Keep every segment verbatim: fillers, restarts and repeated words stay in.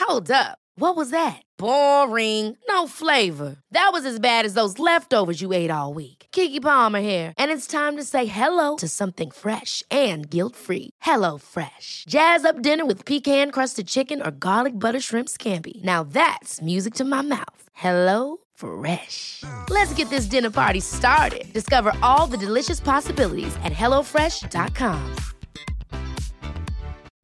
Hold up. What was that? Boring. No flavor. That was as bad as those leftovers you ate all week. Keke Palmer here, and it's time to say hello to something fresh and guilt-free. Hello Fresh. Jazz up dinner with pecan-crusted chicken or garlic butter shrimp scampi. Now that's music to my mouth. Hello Fresh. Let's get this dinner party started. Discover all the delicious possibilities at hello fresh dot com.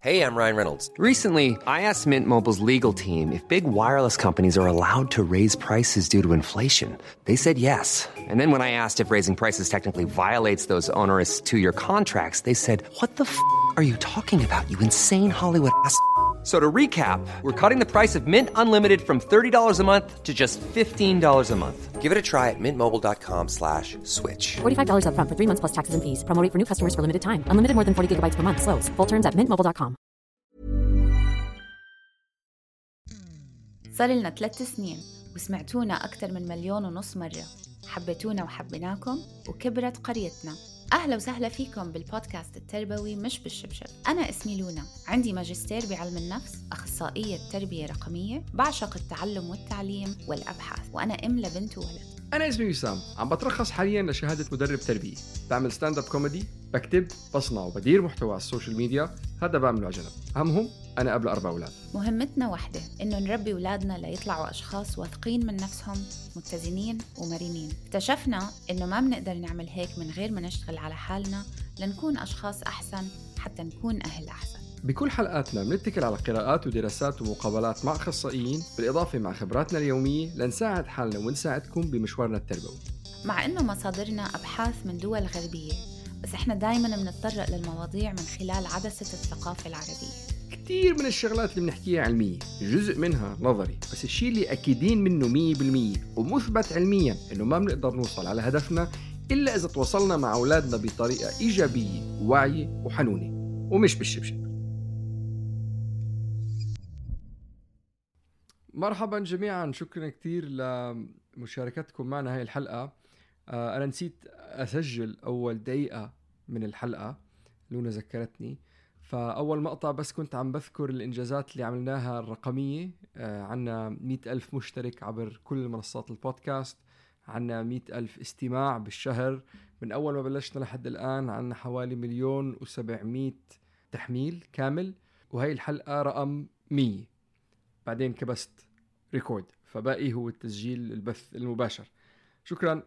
Hey, I'm Ryan Reynolds. Recently, I asked Mint Mobile's legal team if big wireless companies are allowed to raise prices due to inflation. They said yes. And then when I asked if raising prices technically violates those onerous two-year contracts, they said, what the f*** are you talking about, you insane Hollywood ass f- So to recap, we're cutting the price of Mint Unlimited from thirty dollars a month to just fifteen dollars a month. Give it a try at mintmobile.com slash switch. forty-five dollars up front for three months plus taxes and fees. Promo rate for new customers for limited time. Unlimited more than forty gigabytes per month. Slows full terms at mint mobile dot com. صار لنا ثلاث سنين وسمعتونا أكثر من مليون ونص مرة. حبيتونا وحبيناكم وكبرت قريتنا. أهلا وسهلا فيكم بالبودكاست التربوي مش بالشبشب. أنا اسمي لونا، عندي ماجستير بعلم النفس، أخصائية تربية رقمية، بعشق التعلم والتعليم والأبحاث، وأنا أم لبنت وولد. أنا اسمي وسام، عم بترخص حالياً لشهادة مدرب تربية، بعمل ستاند اب كوميدي، بكتب، بصنع وبدير محتوى على السوشيال ميديا، هذا بعمله على جنب. همهم أنا قبل أربع أولاد. مهمتنا واحدة، إنه نربي أولادنا ليطلعوا أشخاص واثقين من نفسهم، متزنين ومرنين. اكتشفنا إنه ما بنقدر نعمل هيك من غير ما نشتغل على حالنا لنكون أشخاص أحسن حتى نكون أهل أحسن. بكل حلقاتنا بنتكل على قراءات ودراسات ومقابلات مع أخصائيين، بالإضافة مع خبراتنا اليومية لنساعد حالنا ونساعدكم بمشوارنا التربوي. مع إنه مصادرنا أبحاث من دول غربية، بس إحنا دايماً بنتطرق للمواضيع من خلال عدسة الثقافة العربية. كتير من الشغلات اللي بنحكيها علمية، جزء منها نظري، بس الشيء اللي أكيدين منه مية بالمية ومثبت علمياً إنه ما بنقدر نوصل على هدفنا إلا إذا تواصلنا مع أولادنا بطريقة إيجابية وواعية وحنونة ومش بالشبشب. مرحباً جميعاً، شكراً كتير لمشاركتكم معنا هاي الحلقة. أنا نسيت أسجل أول دقيقة من الحلقة، لونا ذكرتني. فأول مقطع بس كنت عم بذكر الإنجازات اللي عملناها الرقمية. عنا مئة ألف مشترك عبر كل منصات البودكاست، عنا مئة ألف استماع بالشهر من أول ما بلشنا لحد الآن، عنا حوالي مليون وسبعمائة تحميل كامل، وهي الحلقة رقم مية. بعدين كبست ريكورد، فباقي هو التسجيل البث المباشر. شكرا.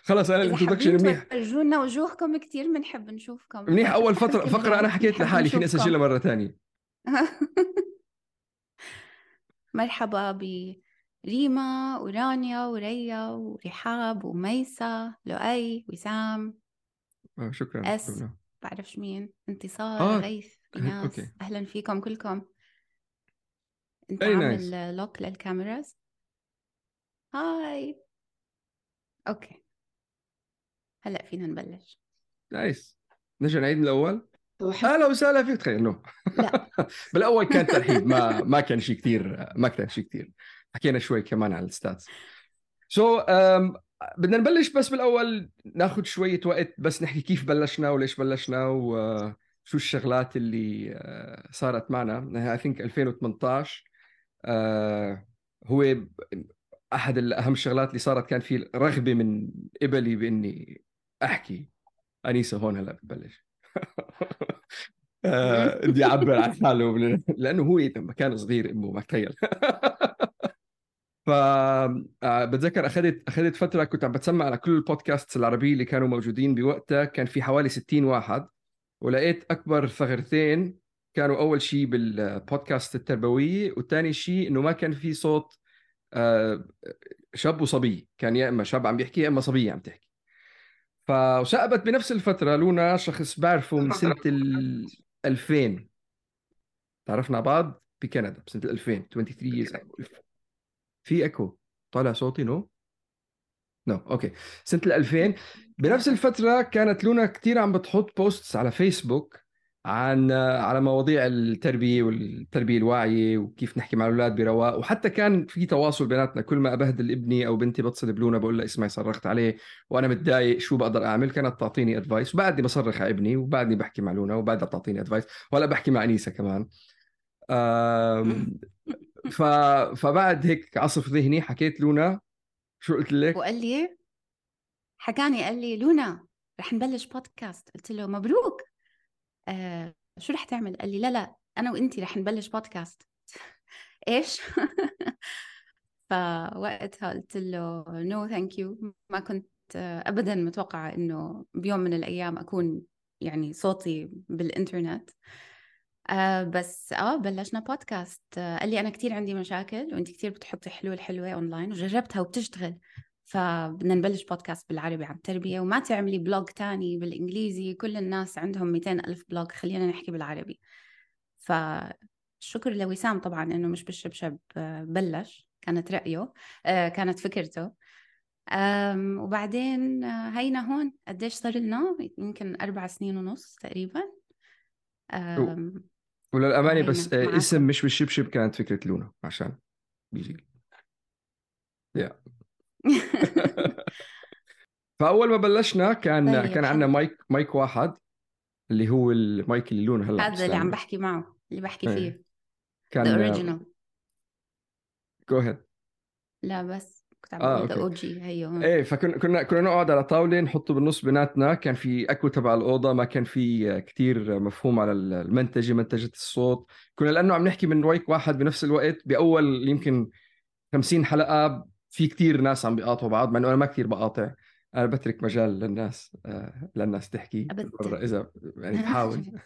خلاص انا الانترودكشن منيح. رجونا وجوهكم كتير بنحب نشوفكم منيح. اول فتره فقره انا حكيت لحالي فيني اسجلها مره تانية. مرحبا بريما ورانيا وريا ورحاب وميسا لؤي وسام. آه شكرا. اس بعرفش مين، انتصار آه. غيث إناس. أوكي. اهلا فيكم كلكم. انت Very عامل nice. لوك للكاميراز؟ هاي. اوكي هلا فينا نبلش. نايس. نرجع نعيد من الاول. اهلا وسهلا فيك. تخيل انه لا بالاول كان ترحيب، ما ما كان شيء كتير، ما كان شيء كتير. حكينا شوي كمان على الستاتس. سو so, um, بدنا نبلش. بس بالاول ناخذ شويه وقت بس نحكي كيف بلشنا وليش بلشنا وشو الشغلات اللي uh, صارت معنا. I think ألفين وثمانية عشر uh, هو احد الاهم الشغلات اللي صارت. كان في رغبه من قبلي باني احكي. انيسه هون هلا بتبلش. بدي اعبر عن حاله لانه هو لما كان صغير امه ما تخيل. ف بتذكر اخذت اخذت فتره كنت عم بتسمع على كل البودكاست العربيه اللي كانوا موجودين بوقتها. كان في حوالي ستين واحد، ولقيت اكبر ثغرتين كانوا اول شيء بالبودكاست التربويه، والثاني شيء انه ما كان في صوت شاب وصبي. كان يا اما شاب عم بيحكي يا اما صبيه عم تحكي. فشقبت بنفس الفتره لونا شخص بعرفه من سنه ألفين. تعرفنا بعض بكندا بسنه ألفين. ثلاثة وعشرين years. في اكو طالع صوتي نو نو اوكي. سنه ألفين بنفس الفتره كانت لونا كتير عم بتحط بوستس على فيسبوك عن على مواضيع التربية والتربية الواعية وكيف نحكي مع الأولاد برواق. وحتى كان في تواصل بيناتنا، كل ما أبهدل ابني أو بنتي بتصل بلونا بقول لها اسمعي صرخت عليه وأنا متضايق شو بقدر أعمل، كانت تعطيني أدفايس، وبعدني بصرخ على ابني وبعدني بحكي مع لونا وبعدها بتعطيني أدفايس، ولا بحكي مع أنيسة كمان. أم... ف... فبعد هيك عصف ذهني حكيت لونا شو قلت لك؟ وقال لي حكاني قال لي لونا رح نبلش بودكاست. قلت له مبروك. آه شو رح تعمل؟ قال لي لا لا أنا وإنتي رح نبلش بودكاست. إيش؟ فوقتها قلت له نو ثانك يو، ما كنت أبدا متوقعة إنه بيوم من الأيام أكون يعني صوتي بالإنترنت. آه بس آه بلشنا بودكاست. آه قال لي أنا كتير عندي مشاكل وإنتي كتير بتحطي حلول حلوة أونلاين وجربتها وبتشتغل، فبدنا نبلش بودكاست بالعربي عن التربية، وما تعملي بلوج تاني بالإنجليزي، كل الناس عندهم مئتين ألف بلوج، خلينا نحكي بالعربي. فالشكر لوسام طبعا إنه مش بالشبشب بلش، كانت رأيه، كانت فكرته. وبعدين هينا هون قديش صار لنا؟ يمكن أربع سنين ونص تقريبا. وللأمانة بس معاكم. اسم مش بالشبشب كانت فكرة لونا عشان بيجي yeah. فأول ما بلشنا كان طيب كان عندنا مايك مايك واحد اللي هو المايك اللي لونه هلا هذا اللي عم بحكي معه اللي بحكي فيه ايه. كان the original. go ahead. لا بس كنت عم بقول the أو جي هيو. ايه فكنا كنا كنا نقعد على طاولة نحطه بالنص بيناتنا، كان في اكو تبع الأوضة، ما كان في كتير مفهوم على المنتجة منتجة الصوت. كنا لأنه عم نحكي من مايك واحد بنفس الوقت بأول يمكن خمسين حلقة، في كتير ناس عم بيقاطعوا بعض، مع انه انا ما كتير بقاطع، انا بترك مجال للناس آه للناس تحكي اذا يعني بحاول.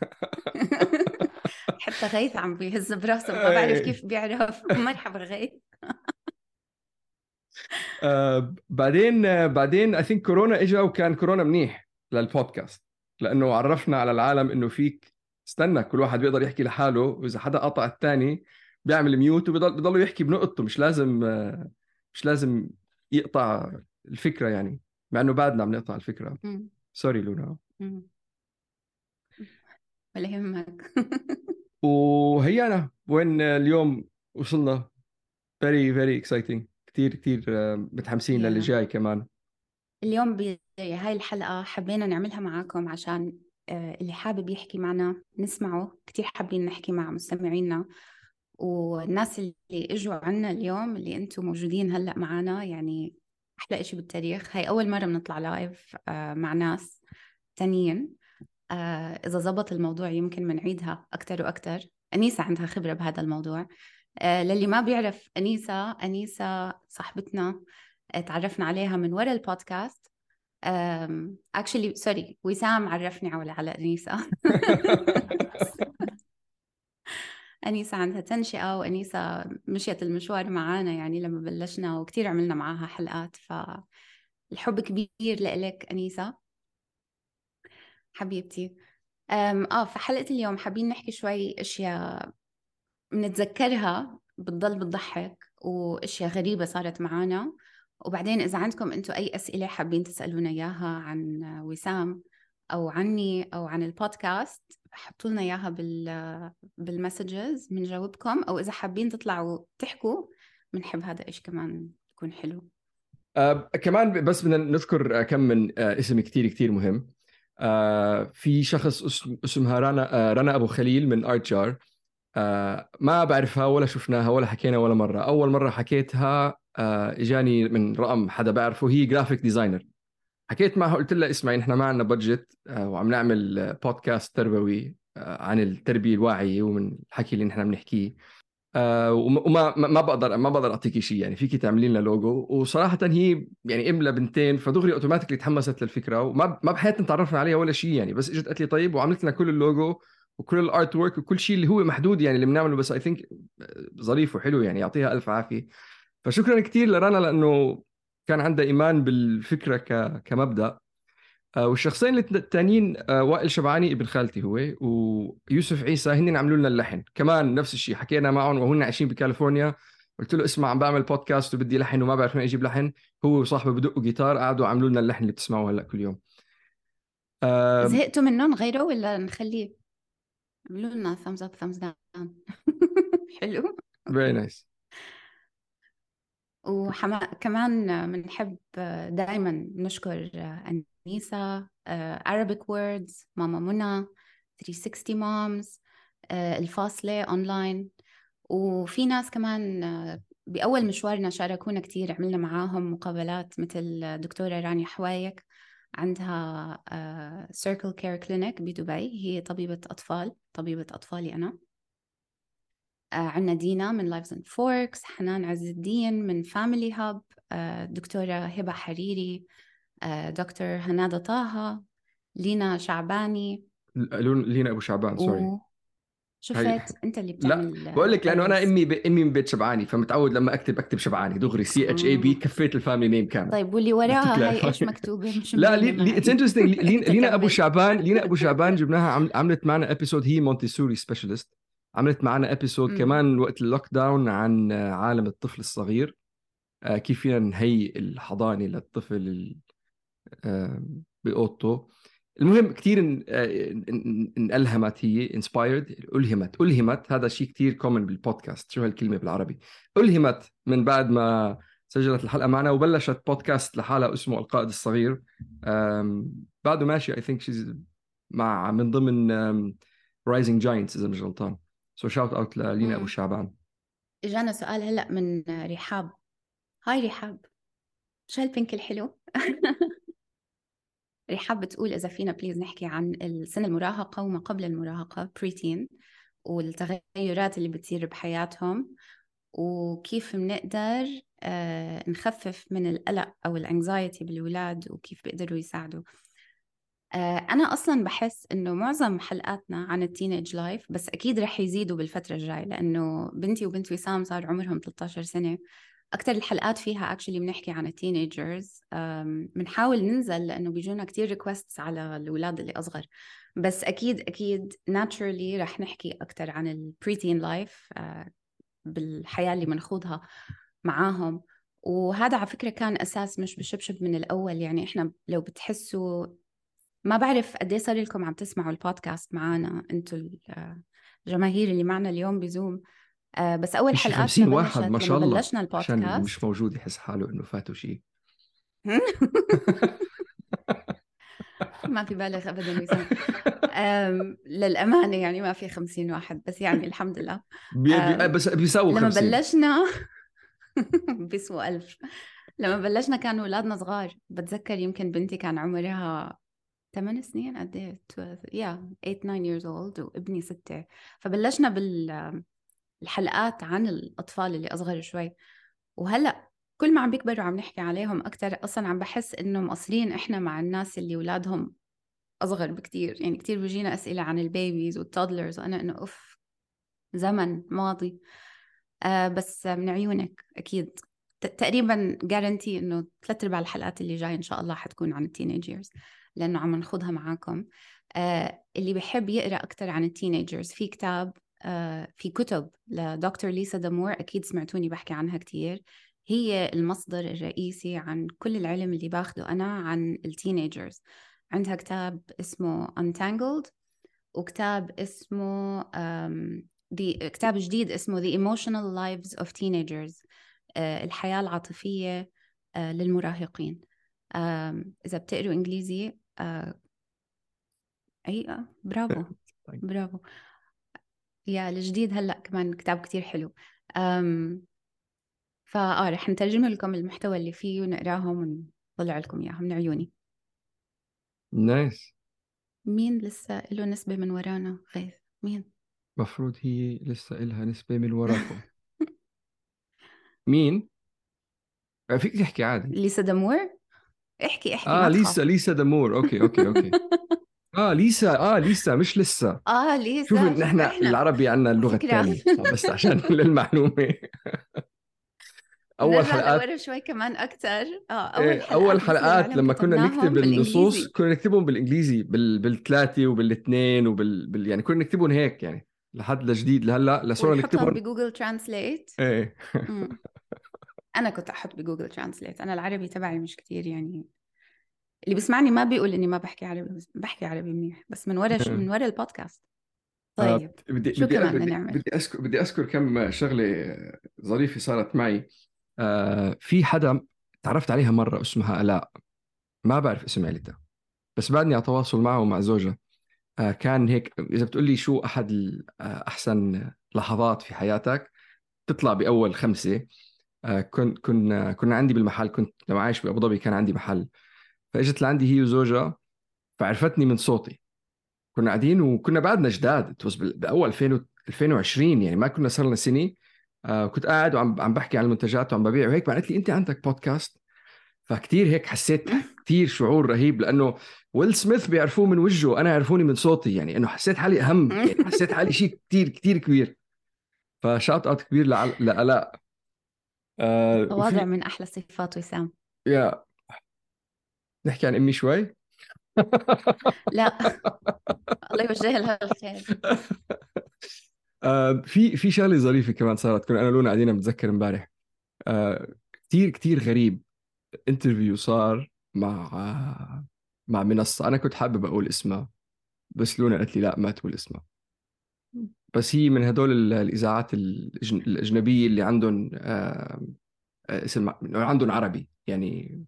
حتى غيث عم بيهز براسه، ما بعرف كيف بيعرف. مرحبا غيث. آه بعدين آه بعدين اي ثينك كورونا اجا، وكان كورونا منيح للبودكاست لانه عرفنا على العالم انه فيك استنى كل واحد بيقدر يحكي لحاله، واذا حدا قطع الثاني بيعمل ميوت وبيضل بيضلوا يحكي بنقطته، مش لازم آه مش لازم يقطع الفكرة يعني، مع انه بعدنا عم نقطع الفكرة. سوري لونا. ولا يهمك. وهي أنا وين اليوم وصلنا. very very exciting، كتير كتير متحمسين yeah. للي جاي كمان. اليوم بهاي الحلقة حبينا نعملها معاكم عشان اللي حابب يحكي معنا نسمعه، كتير حابين نحكي مع مستمعينا والناس اللي اجوا عنا اليوم اللي انتم موجودين هلأ معنا، يعني أحلى إشي بالتاريخ. هاي أول مرة بنطلع لايف مع ناس تانيين. إذا زبط الموضوع يمكن منعيدها أكتر وأكتر. أنيسة عندها خبرة بهذا الموضوع. للي ما بيعرف أنيسة، أنيسة صاحبتنا تعرفنا عليها من وراء البودكاست. actually sorry وسام عرفني على على أنيسة. أنيسة عندها تنشئة، وأنيسة مشيت المشوار معانا يعني لما بلشنا، وكتير عملنا معاها حلقات، فالحب كبير لإلك أنيسة حبيبتي. آه في حلقة اليوم حابين نحكي شوي أشياء بنتذكرها بتضل بتضحك، وأشياء غريبة صارت معانا. وبعدين إذا عندكم أنتوا أي أسئلة حابين تسألونا إياها عن وسام أو عني أو عن البودكاست، حطوا لنا إياها بال بالمسجز بنجاوبكم، أو إذا حابين تطلعوا تحكوا بنحب هذا إيش كمان يكون حلو. آه كمان بس بدنا نذكر كم من آه اسم كتير كتير مهم. آه في شخص اسم اسمها رنا آه رنا أبو خليل من آرت جار. آه ما بعرفها ولا شفناها ولا حكينا ولا مرة. أول مرة حكيتها آه إجاني من رقم حدا بعرفه، هي جرافيك ديزاينر. حكيت معها قلت لها اسمعي نحن ما عندنا بادجت آه وعم نعمل بودكاست تربوي آه عن التربية الواعية ومن الحكي اللي نحن بنحكيه، آه وما ما بقدر ما بقدر أعطيكي شيء يعني، فيكي تعملي لنا لوجو. وصراحة هي يعني إملا بنتين، فدغري أوتوماتيكلي تحمست للفكرة، وما ما بحياتنا تعرفنا عليها ولا شيء يعني، بس إجت قالت لي طيب، وعملت لنا كل اللوجو وكل الارت وورك وكل شيء اللي هو محدود يعني اللي بنعمله، بس اي ثينك ظريف وحلو يعني، يعطيها الف عافيه. فشكرا كثير لرنا لانه كان عندها ايمان بالفكره ك... كمبدا. والشخصين الثانيين وائل شبعاني ابن خالتي هو، ويوسف عيسى هن عملوا لنا اللحن كمان نفس الشيء. حكينا معهم وهن عايشين بكاليفورنيا، قلت له اسمع عم بعمل بودكاست وبدي لحن وما بعرف وين اجيب لحن، هو وصاحبه بدقوا جيتار قعدوا عملوا لنا اللحن اللي بتسمعوه هلا كل يوم. زهقتوا منهم غيره ولا نخليه؟ عملوا لنا thumbs up thumbs down. حلو. very nice. وكمان بنحب دائما نشكر أنيسة، Arabic Words، ماما منى، ثلاثمية وستين Moms، الفاصلة أونلاين. وفي ناس كمان بأول مشوارنا شاركونا كتير، عملنا معاهم مقابلات مثل دكتورة رانيا حوايك، عندها Circle Care Clinic بدبي، هي طبيبة أطفال، طبيبة أطفالي أنا. عنا دينا من Lives and Forks، حنان عز الدين من Family Hub، دكتورة هبة حريري، دكتور هنادة طه، لينا شعباني. لينا أبو شعبان سوري و... شفت انت اللي بتعمل. لا بقول لك لانه انا امي ب... امي من بيت شبعاني، فمتعود لما اكتب اكتب شبعاني دغري سي اتش اي بي، كفيت الفاميلي نيم كامل. طيب واللي وراها هاي ايش مكتوبه؟ مش لا لي اتس انترستينج. لينا ابو شعبان، لينا ابو شعبان جبناها عم... عملت معنا ابيسود، هي مونتيسوري سبيشالست، عملت معنا ابيسود كمان وقت اللوك داون عن عالم الطفل الصغير، آه كيف فينا نهيئ الحضانه للطفل ال... آه باوضته. المهم كتير انألهمت، هي inspired، ألهمت ألهمت هذا شيء كتير كومن بالبودكاست. شو هالكلمة بالعربي؟ ألهمت من بعد ما سجلت الحلقة معنا وبلشت بودكاست لحالها اسمه القائد الصغير. بعده ماشي I think she's مع من ضمن Rising Giants إذا مش غلطان. so shout out للينا أبو شعبان. إجانا سؤال هلأ من رحاب. هاي رحاب، شو هالبنك الحلو؟ رحاب بتقول إذا فينا بليز نحكي عن السن المراهقة وما قبل المراهقة بريتين، والتغيرات اللي بتصير بحياتهم، وكيف بنقدر آه نخفف من القلق أو الانكزايتي بالولاد، وكيف بيقدروا يساعدوا. آه أنا أصلاً بحس إنه معظم حلقاتنا عن التينيج لايف، بس أكيد رح يزيدوا بالفترة الجاية، لأنه بنتي وبنت وسام صار عمرهم ثلاثة عشر سنة. أكتر الحلقات فيها actually بنحكي عن التينيجرز. بنحاول ننزل لأنه بيجونا كتير ريكوستس على الأولاد اللي أصغر، بس أكيد أكيد naturally رح نحكي أكتر عن البريتين لايف بالحياة اللي منخوضها معاهم. وهذا على فكرة كان أساس مش بشبشب من الأول. يعني إحنا لو بتحسوا، ما بعرف قد إيه صار لكم عم تسمعوا البودكاست معنا أنتوا الجماهير اللي معنا اليوم بزوم، آه بس أول حلقات خمسين واحد ما شاء الله، بلشنا البودكاست عشان مش موجود يحس حاله إنه فاتوا شيء. ما في بالغ أبداً وسام. للأمانة يعني ما في خمسين واحد، بس يعني الحمد لله بي بي بس بيساووا لما خمسين. بلشنا بيسووا ألف. لما بلشنا كانوا أولادنا صغار، بتذكر يمكن بنتي كان عمرها ثمان سنين قد إيه يا ثمانية nine years old، وابني ستة. فبلشنا بالحلقات عن الأطفال اللي أصغر شوي، وهلأ كل ما عم بيكبروا عم نحكي عليهم أكتر. أصلاً عم بحس إنه مقصرين إحنا مع الناس اللي أولادهم أصغر بكتير. يعني كتير بيجينا أسئلة عن البيبيز والتودلرز، وأنا إنه أوف زمن ماضي. آه بس من عيونك أكيد تقريباً جارنتي إنه ثلاث أرباع الحلقات اللي جاي إن شاء الله حتكون عن التينيجرز، لأنه عم نخوضها معاكم. آه اللي بيحب يقرأ أكتر عن التينيجرز، في كتاب آه في كتب لدكتور ليسا دامور، أكيد سمعتوني بحكي عنها كتير. هي المصدر الرئيسي عن كل العلم اللي باخده أنا عن التينيجرز. عندها كتاب اسمه Untangled، وكتاب اسمه um, the, كتاب جديد اسمه The Emotional Lives of Teenagers، uh, الحياة العاطفية uh, للمراهقين. um, إذا بتقروا إنجليزي uh, أي برافو برافو يا الجديد هلأ كمان كتاب كتير حلو. um, فآه رح نترجم لكم المحتوى اللي فيه ونقراهم ونطلع لكم إياهم من عيوني. نايس. مين لسه له نسبة من ورانا؟ غيث مين؟ مفروض هي لسه إلها نسبة من وراكم. مين؟ فيك تحكي عادي. ليسا دامور. احكي احكي آه ليسا ليسا دامور. أوكي أوكي أوكي. آه ليسا آه ليسا مش لسه. آه ليسا. شوف نحن العربي عنا اللغة الثانية بس عشان للمعلومة. أول حلقات لورا شوي كمان أكتر. آه أول حلقات, أول حلقات لما كنا نكتب النصوص كنا نكتبهم بالإنجليزي بال... بالثلاثة وبالاثنين وبال بال... يعني كنا نكتبهم هيك يعني لحد لجديد لهلا لصورة نكتبهم بجوجل ترانسليت. إيه. أنا كنت أحط بجوجل ترانسليت. أنا العربي تبعي مش كتير، يعني اللي بيسمعني ما بيقول إني ما بحكي عربي، بحكي عربي منيح، بس من ورا من ورا البودكاست طيب بدي شو بدي كمان بدي, نعمل؟ بدي اذكر بدي اذكر كم شغله ظريفه صارت معي. آه في حدا تعرفت عليها مره اسمها آلاء، ما بعرف اسم عيلتها بس بعدني على تواصل معه ومع زوجها. آه كان هيك اذا بتقول لي شو احد ال- آه، احسن لحظات في حياتك، تطلع باول خمسه. آه كن كنا كنا عندي بالمحل، كنت لما عايش بابو ظبي كان عندي محل، فاجت لعندي هي وزوجها فعرفتني من صوتي. كنا قاعدين وكنا بعدنا جداد، توز باول ألفين ألفين وعشرين يعني ما كنا صار لنا سنه. آه كنت قاعد وعم عم بحكي عن المنتجات وعم ببيع وهيك، قالت لي انت عندك بودكاست. فكتير هيك حسيت كتير شعور رهيب، لانه ويل سميث بيعرفوه من وجهه، انا يعرفوني من صوتي، يعني انه حسيت حالي اهم، يعني حسيت حالي شيء كتير كتير كبير. فشاط اوت كبير لعل... لآلاء. آه تواضع وفي من أحلى صفات وسام. يا نحكي عن امي شوي. لا الله يوجه لها الخير. آه في في شغله ظريفه كمان صارت، كنا انا لونا قاعدين بتذكر امبارح. آه كتير كتير غريب. انترفيو صار مع آه مع منصه انا كنت حابب اقول اسمها، بس لونا قالت لي لا ما تقول اسمها. بس هي من هدول ال- الاذاعات الأجن- الاجنبيه اللي عندهم آه آه، اسم عندهم عربي، يعني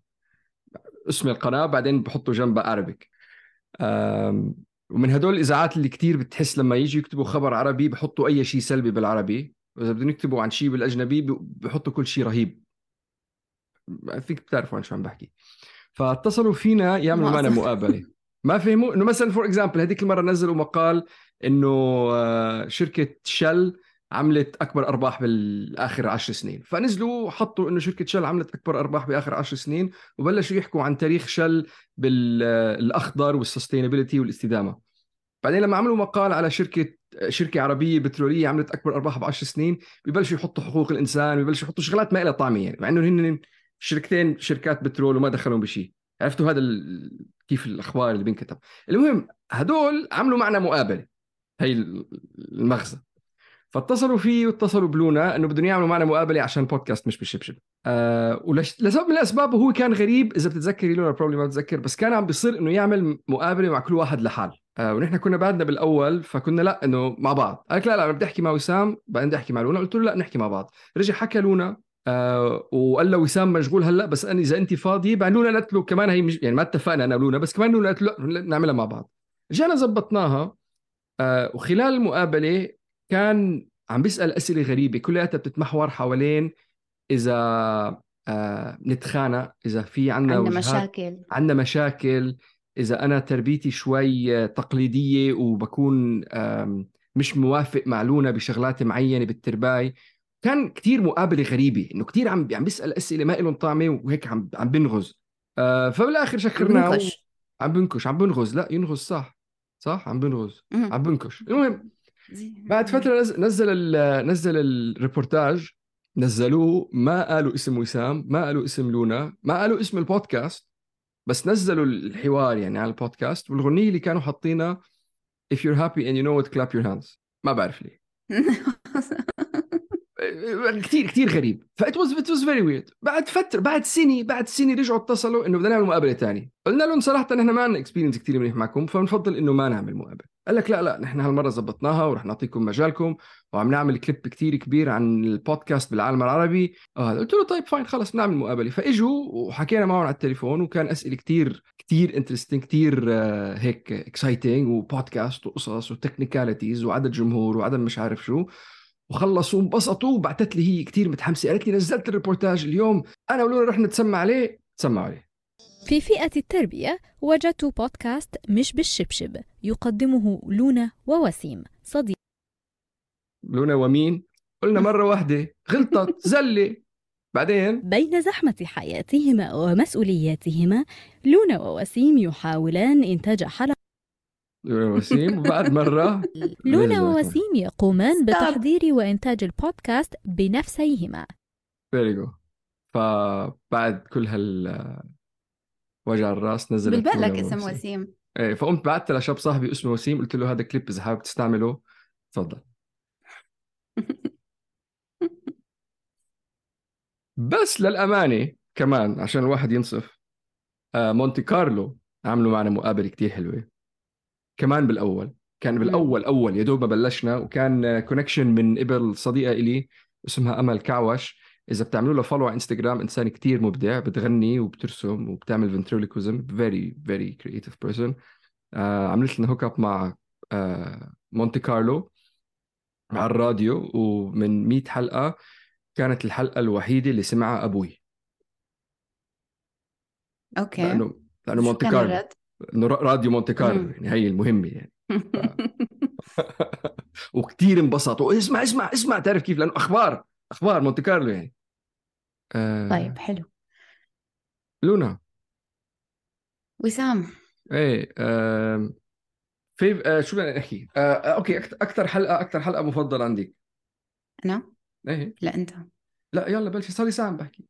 اسم القناه بعدين بحطوا جنبها عربيك. آم، ومن هدول الإذاعات اللي كتير بتحس لما يجي يكتبوا خبر عربي بحطوا أي شيء سلبي بالعربي، وإذا بدهم يكتبوا عن شيء بالأجنبي ب- بحطوا كل شيء رهيب. فيك بتعرفوا عن شو عم بحكي. فاتصلوا فينا يعملوا معنا معظم مقابلة. ما فهموا إنه مثلا فور إكزامبل هذيك المرة نزلوا مقال إنه آه، شركة شل عملت أكبر أرباح بالآخر عشر سنين، فنزلوا حطوا إنه شركة شل عملت أكبر أرباح بآخر عشر سنين، وبلشوا يحكوا عن تاريخ شل بالأخضر والسستينابيلتي والاستدامة. بعدين لما عملوا مقال على شركة شركة عربية بترولية عملت أكبر أرباح بعشر سنين، ببلشوا يحطوا حقوق الإنسان، ببلشوا يحطوا شغلات ما لها طعمة، يعني مع إنه هن شركتين شركات بترول وما دخلهم بشيء. عرفتوا هذا ال... كيف الأخبار اللي بينكتب. المهم هدول عملوا معنا مقابلة، هي المغزى. فاتصلوا فيه واتصلوا بلونا انه بدهم يعملوا معنا مقابله عشان بودكاست مش بالشبشب. آه ولش لسبب من الاسباب، وهو كان غريب اذا بتتذكري لونا بروبلي ما بتذكر، بس كان عم بيصير انه يعمل مقابله مع كل واحد لحال. آه ونحن كنا بعدنا بالاول فكنا لا انه مع بعض. قال لا لا بدي احكي مع وسام بعدين بدي احكي مع لونا. قلت له لا نحكي مع بعض. رجع حكى لونا آه وقال له وسام مشغول هلا، بس أنا اذا انت فاضي. بعد لونا قالت له كمان هي مش يعني ما اتفقنا انا ولونا، بس كمان لونا قالت له لا نعملها مع بعض. رجعنا زبطناها. آه وخلال المقابله كان عم بيسأل أسئلة غريبة كلها بتتمحور حوالين إذا آه نتخانق، إذا في عنا عندنا وجهات مشاكل. عنا مشاكل، إذا أنا تربيتي شوي تقليدية وبكون آم، مش موافق مع لونا بشغلات معينة بالترباي. كان كتير مقابلة غريبة، إنه كتير عم عم بيسأل أسئلة ما إلهم طعمة وهيك عم عم بنغز. آه فبالآخر عم شكرناه. بنكش. عم بنكش عم بنغز لا ينغز صح صح عم بنغز مهم. عم بنكش. المهم زي- بعد فترة نز- نزل ال- نزل الريبورتاج، نزلوه ما قالوا اسم وسام، ما قالوا اسم لونا، ما قالوا اسم البودكاست، بس نزلوا الحوار يعني على البودكاست. والغنية اللي كانوا حاطينها If you're happy and you know it clap your hands. ما بعرف ليه. كتير كتير غريب. فإت واز إت واز فيري ويرد. بعد فترة بعد سنة بعد سنة رجعوا اتصلوا إنه بدنا نعمل مقابلة تانية. قلنا لهم صراحة نحن ما عندنا اكسبيرينس كتير منيح معكم، فبنفضل إنه ما نعمل مقابلة. قال لك لا لا نحن هالمرة زبطناها ورح نعطيكم مجالكم وعم نعمل كليب كتير كبير عن البودكاست بالعالم العربي. آه قلت له طيب فاين خلص بنعمل مقابلة. فإجوا وحكينا معهم على التليفون، وكان أسئلة كتير كتير انترستينج، كتير آه هيك اكسايتنج، وبودكاست وقصص وتكنيكاليتيز وعدد جمهور وعدد مش عارف شو. وخلصوا وانبسطوا. وبعتت لي هي كتير متحمسة، قالت لي نزلت الريبورتاج اليوم أنا ولونا رح نتسمع عليه. تسمع عليه. في فئة التربية وجدت بودكاست مش بالشبشب يقدمه لونا ووسيم صديق. لونا ومين؟ قلنا مرة واحدة غلطت زلة. بعدين بين زحمة حياتهما ومسؤولياتهما لونا ووسيم يحاولان إنتاج حلقة. لونا وسيم. وبعد مرة لونا ووسيم يقومان بتحضير وإنتاج البودكاست بنفسيهما. فيريجو. فبعد كل هال وجع الراس نزلت بالبالك لونا اسم وسيم. وسيم. ايه فقمت بعت لشاب صاحبي اسمه وسيم، قلت له هذا كليب إذا حابب تستعمله تفضل. بس للأمانة كمان عشان الواحد ينصف، آه مونتي كارلو عملوا معنا مقابلة كتير حلوة كمان بالأول. كان مم. بالاول اول يا دوب ما بلشنا، وكان كونكشن من قبل صديقه إلي اسمها امل كعوش. اذا بتعملوا له فولو على انستغرام، انسان كتير مبدع، بتغني وبترسم وبتعمل فنتريلوكوزم، فيري فيري كرييتيف بيرسون. عملت لنا هوك اب مع آه مونتي كارلو على الراديو، ومن مئة حلقه كانت الحلقه الوحيده اللي سمعها ابوي، اوكي. لانه لانه شو مونتي كان كارلو، الرد؟ انه راديو مونتي كارلو، مم. يعني هي المهمه يعني. ف... وكتير انبسط، واسمع اسمع اسمع، تعرف كيف؟ لانه اخبار اخبار مونتي كارلو يعني. آه... طيب حلو. لونا، وسام، ايه آه... في آه... شو بدنا نحكي؟ آه... آه، اوكي، أكت- اكثر حلقه اكثر حلقه مفضله عندك؟ انا ايه لا انت. لا يلا بلشي، صار لي ساعه عم بحكي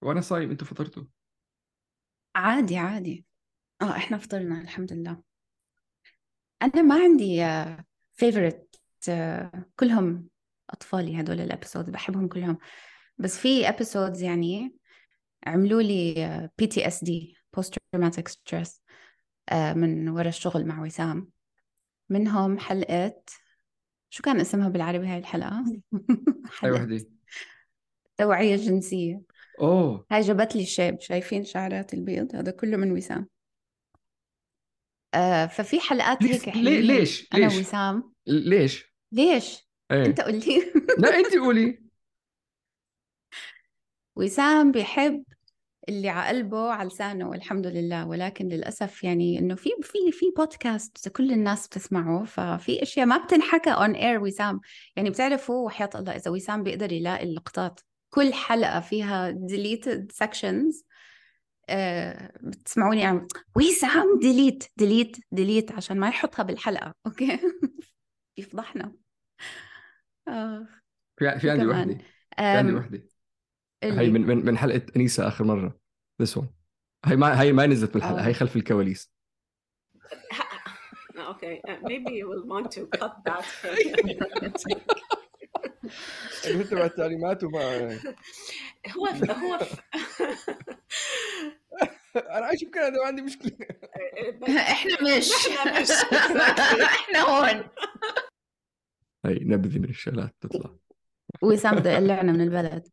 وانا صايم، انتوا فطرتوا؟ عادي عادي. اه احنا فطرنا الحمد لله. انا ما عندي فيفورت، كلهم اطفالي هدول الابيسود بحبهم كلهم، بس في ابيسودز يعني عملوا لي بي تي اس دي بوست تروماتيك ستريس من ورا الشغل مع وسام. منهم حلقة، شو كان اسمها بالعربي هاي الحلقة؟ اي حلقة وحده؟ توعية جنسية. اوه هاي جابت لي الشيب، شايفين شعرات البيض؟ هذا كله من وسام. آه ففي حلقات بليز، هيك ليه حلوين ليش أنا ليش وسام. ليش؟ ليش؟ أنت ايه قلتي. لا انت قولي. وسام بيحب اللي على قلبه على لسانه والحمد لله، ولكن للأسف يعني إنه في في في بودكاست كل الناس بتسمعه، ففي أشياء ما بتنحكى on air وسام. يعني بتعرفوا وحياة الله إذا وسام بيقدر يلاقي اللقطات، كل حلقة فيها deleted sections، آه بتسمعوني عم وسام ديليت ديليت ديليت عشان ما يحطها بالحلقة. أوكي. بيفضحنا. آه في في شو عندي كمان؟ وحده، في عندي أم وحده. هي اللي من من من حلقه انيسه اخر مره. this one. هي ما هي ما نزلت بالحلقه، هي آه خلف الكواليس. Okay, uh, maybe you will want to cut that. اللي تبع التعليمات وما هو هو انا عايش بكندا وعندي مشكله. احنا مش احنا مش احنا هون. هي نبذه من الشغلات تطلع. وسام بده يقلعنا من البلد،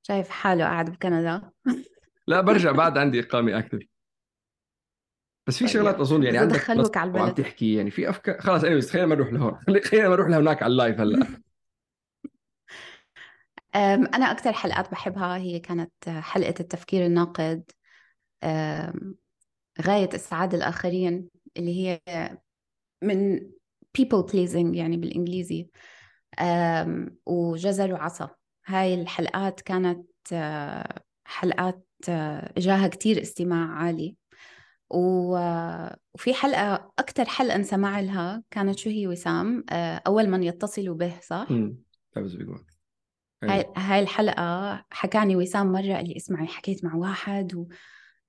شايف حاله قاعد بكندا. لا برجع بعد عندي اقامه اكتف. بس في شغلات طيب اظن يعني إذا عندك دخلوك على وعم البلد. تحكي، يعني في افكار خلاص. اني خلينا ما نروح لهون، خلينا ما نروح لهناك على اللايف هلا. أم، أنا أكثر حلقات بحبها هي كانت حلقة التفكير الناقد، أم، غاية إسعاد الآخرين، اللي هي من people pleasing يعني بالإنجليزي، أم، وجزر وعصا. هاي الحلقات كانت أه، حلقات أه، إجاها كتير استماع عالي. و- وفي حلقة أكتر حلقة انسمع لها كانت شو هي وسام؟ أه، أول من يتصل به، صح؟ امم تعرف بيقول هاي هاي الحلقة حكاني وسام مرة، قال لي اسمعي حكيت مع واحد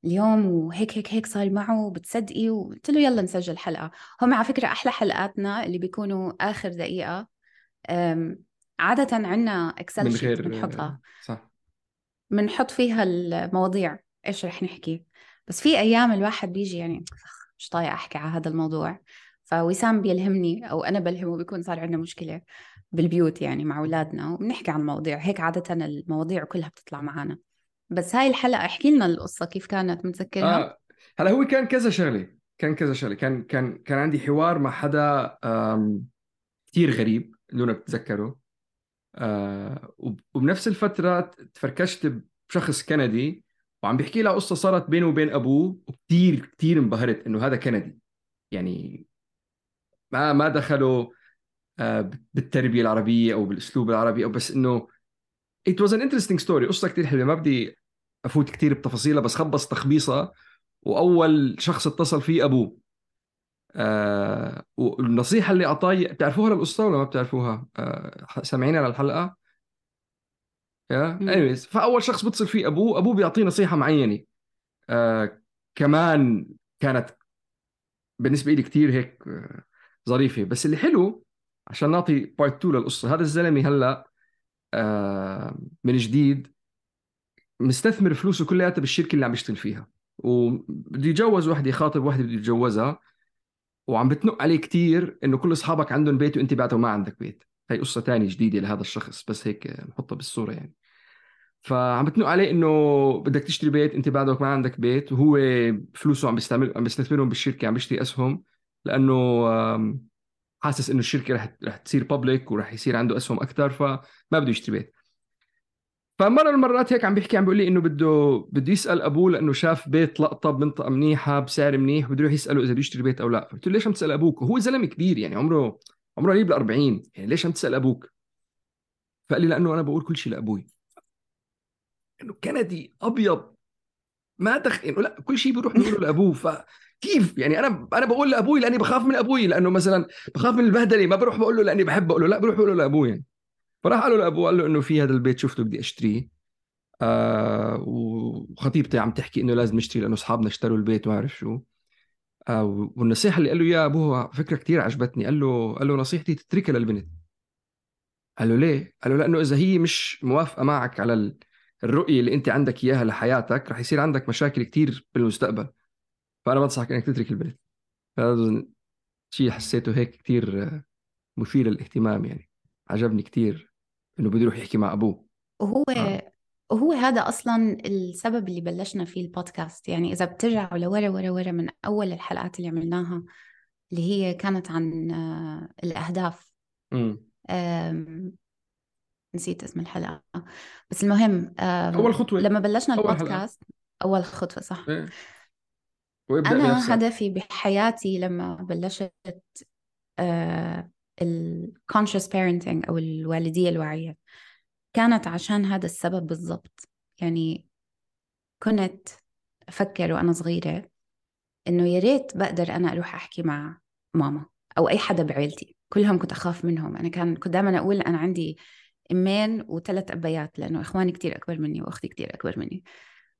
اليوم وهيك هيك هيك صار معه، بتصدقي؟ وقلت له يلا نسجل حلقة. هم على فكرة أحلى حلقاتنا اللي بيكونوا آخر دقيقة. أم، عادة عنا إكسل من شيت غير بنحطها، صح. بنحط فيها المواضيع إيش رح نحكي. بس في أيام الواحد بيجي يعني مش طايقة أحكي على هذا الموضوع، فوسام بيلهمني أو أنا بلهمه، بيكون صار عندنا مشكلة بالبيوت يعني مع أولادنا وبنحكي عن المواضيع هيك. عادة المواضيع كلها بتطلع معنا. بس هاي الحلقة احكي لنا القصة كيف كانت، متذكرها؟ اه هلا هو كان كذا شغله، كان كذا شغله كان كان كان عندي حوار مع حدا آم، كتير غريب، لونا بتتذكره. آه وب- وبنفس الفتره تفركشت بشخص كندي، وعم بيحكي لها قصه صارت بينه وبين ابوه، وكتير كتير انبهرت انه هذا كندي. يعني ما ما دخلوا آه بالتربيه العربيه او بالاسلوب العربي، او بس انه it was an interesting story. قصه كتير حلوه، ما بدي افوت كتير بتفاصيلها، بس خبص تخبيصه. واول شخص اتصل فيه ابوه. آه والنصيحه اللي اعطاي، بتعرفوها للقصه ولا ما بتعرفوها؟ آه سامعين على الحلقه؟ يا مم. anyways، فاول شخص بتصل فيه ابوه، ابوه بيعطيه نصيحه معينه. آه كمان كانت بالنسبه لي كتير هيك آه ظريفه. بس اللي حلو، عشان نعطي بارت اتنين للقصه، هذا الزلمه هلا آه من جديد مستثمر فلوسه كلياتها بالشركه اللي عم يشتغل فيها، وبده يتجوز وحده، خاطب وحده بده يتجوزها. وعم بتنق عليه كتير إنه كل أصحابك عندهم بيت وأنت بعده ما عندك بيت. هاي قصة تانية جديدة لهذا الشخص، بس هيك نحطها بالصورة يعني. فعم بتنق عليه إنه بدك تشتري بيت أنت بعدك ما عندك بيت، وهو فلوسه عم بيستعمل عم بيستثمرهم بالشركة، عم بيشتري أسهم لأنه حاسس إنه الشركة رح رح تصير بابليك ورح يصير عنده أسهم أكتر، فما بده يشتري بيت. فمرة المرات هيك عم بيحكي عم بيقول لي إنه بده بده يسأل أبوه لأنه شاف بيت لقطة بمنطقة منيحة بسعر منيح، بده يروح يسأله إذا بده يشتري بيت أو لا. قلت له ليش عم تسأل أبوك؟ وهو زلمة كبير يعني عمره عمره قريب الأربعين، يعني ليش عم تسأل أبوك؟ فقال لي لأنه أنا بقول كل شيء لأبوي، إنه كندي أبيض ما دخل إنه لا كل شيء بيروح بيقوله لأبوه. فكيف يعني أنا أنا بقول لأبوي لأني بخاف من أبوي، لأنه مثلا بخاف من البهدلة، ما بروح بقول له لأني بحب أقول له، لا بروح بقول له لأبوي يعني. فراح قال له لأبوه، قال له إنه في هذا البيت شفته بدي أشتريه، آه وخطيبتي عم تحكي إنه لازم نشتري لأنه أصحابنا اشتروا البيت وما أعرف شو. آه والنصيحة اللي قال له يا أبوه فكرة كتير عجبتني. قال له قال له نصيحتي تتركها للبنت. قال له ليه؟ قال له لأنه إذا هي مش موافقة معك على الرؤية اللي أنت عندك إياها لحياتك رح يصير عندك مشاكل كتير بالمستقبل، فأنا بنصحك إنك تترك البنت. هذا شيء حسيته هيك كتير مثير للاهتمام يعني، عجبني كتير إنه بده يروح يحكي مع أبوه. وهو آه. وهو هذا أصلا السبب اللي بلشنا فيه البودكاست. يعني إذا بترجعوا لورا ورا ورا من أول الحلقات اللي عملناها اللي هي كانت عن آه، الأهداف. امم نسيت اسم الحلقة، بس المهم أول خطوة لما بلشنا أول البودكاست أول خطوة صح. إيه. وابدأ أنا بنفسك. هدفي بحياتي لما بلشت آه ال conscious parenting أو الوالدية الواعية كانت عشان هذا السبب بالضبط. يعني كنت أفكر وأنا صغيرة إنه يا ريت بقدر أنا أروح أحكي مع ماما أو أي حدا بعيلتي، كلهم كنت أخاف منهم. أنا كان كنت دائما أقول أنا عندي أمين وثلاث أبيات لأنه إخواني كتير أكبر مني وأختي كتير أكبر مني،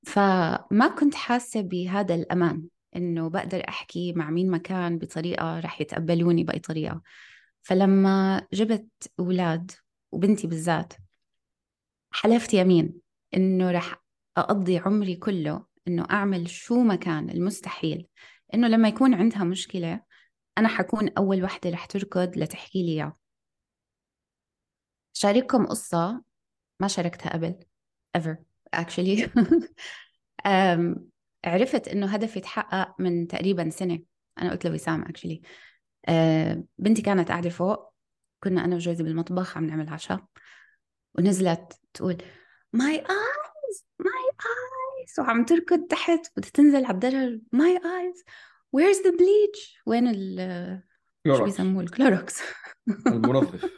فما كنت حاسة بهذا الأمان إنه بقدر أحكي مع مين مكان بطريقة رح يتقبلوني بأي طريقة. فلما جبت أولاد وبنتي بالذات حلفت يمين إنه رح أقضي عمري كله إنه أعمل شو ما كان المستحيل إنه لما يكون عندها مشكلة أنا حكون أول وحدة رح تركض لتحكي لي إياه. شارككم قصة ما شاركتها قبل ever actually. عرفت إنه هدفي يتحقق من تقريبا سنة. أنا قلت لوسام actually أه بنتي كانت قاعدة فوق، كنا أنا وجوزي بالمطبخ عم نعمل عشاء، ونزلت تقول my eyes my eyes وعم تركض تحت بدها تنزل على الدرج my eyes where's the bleach وين ال شو بيسموه الكلوروكس المنظف.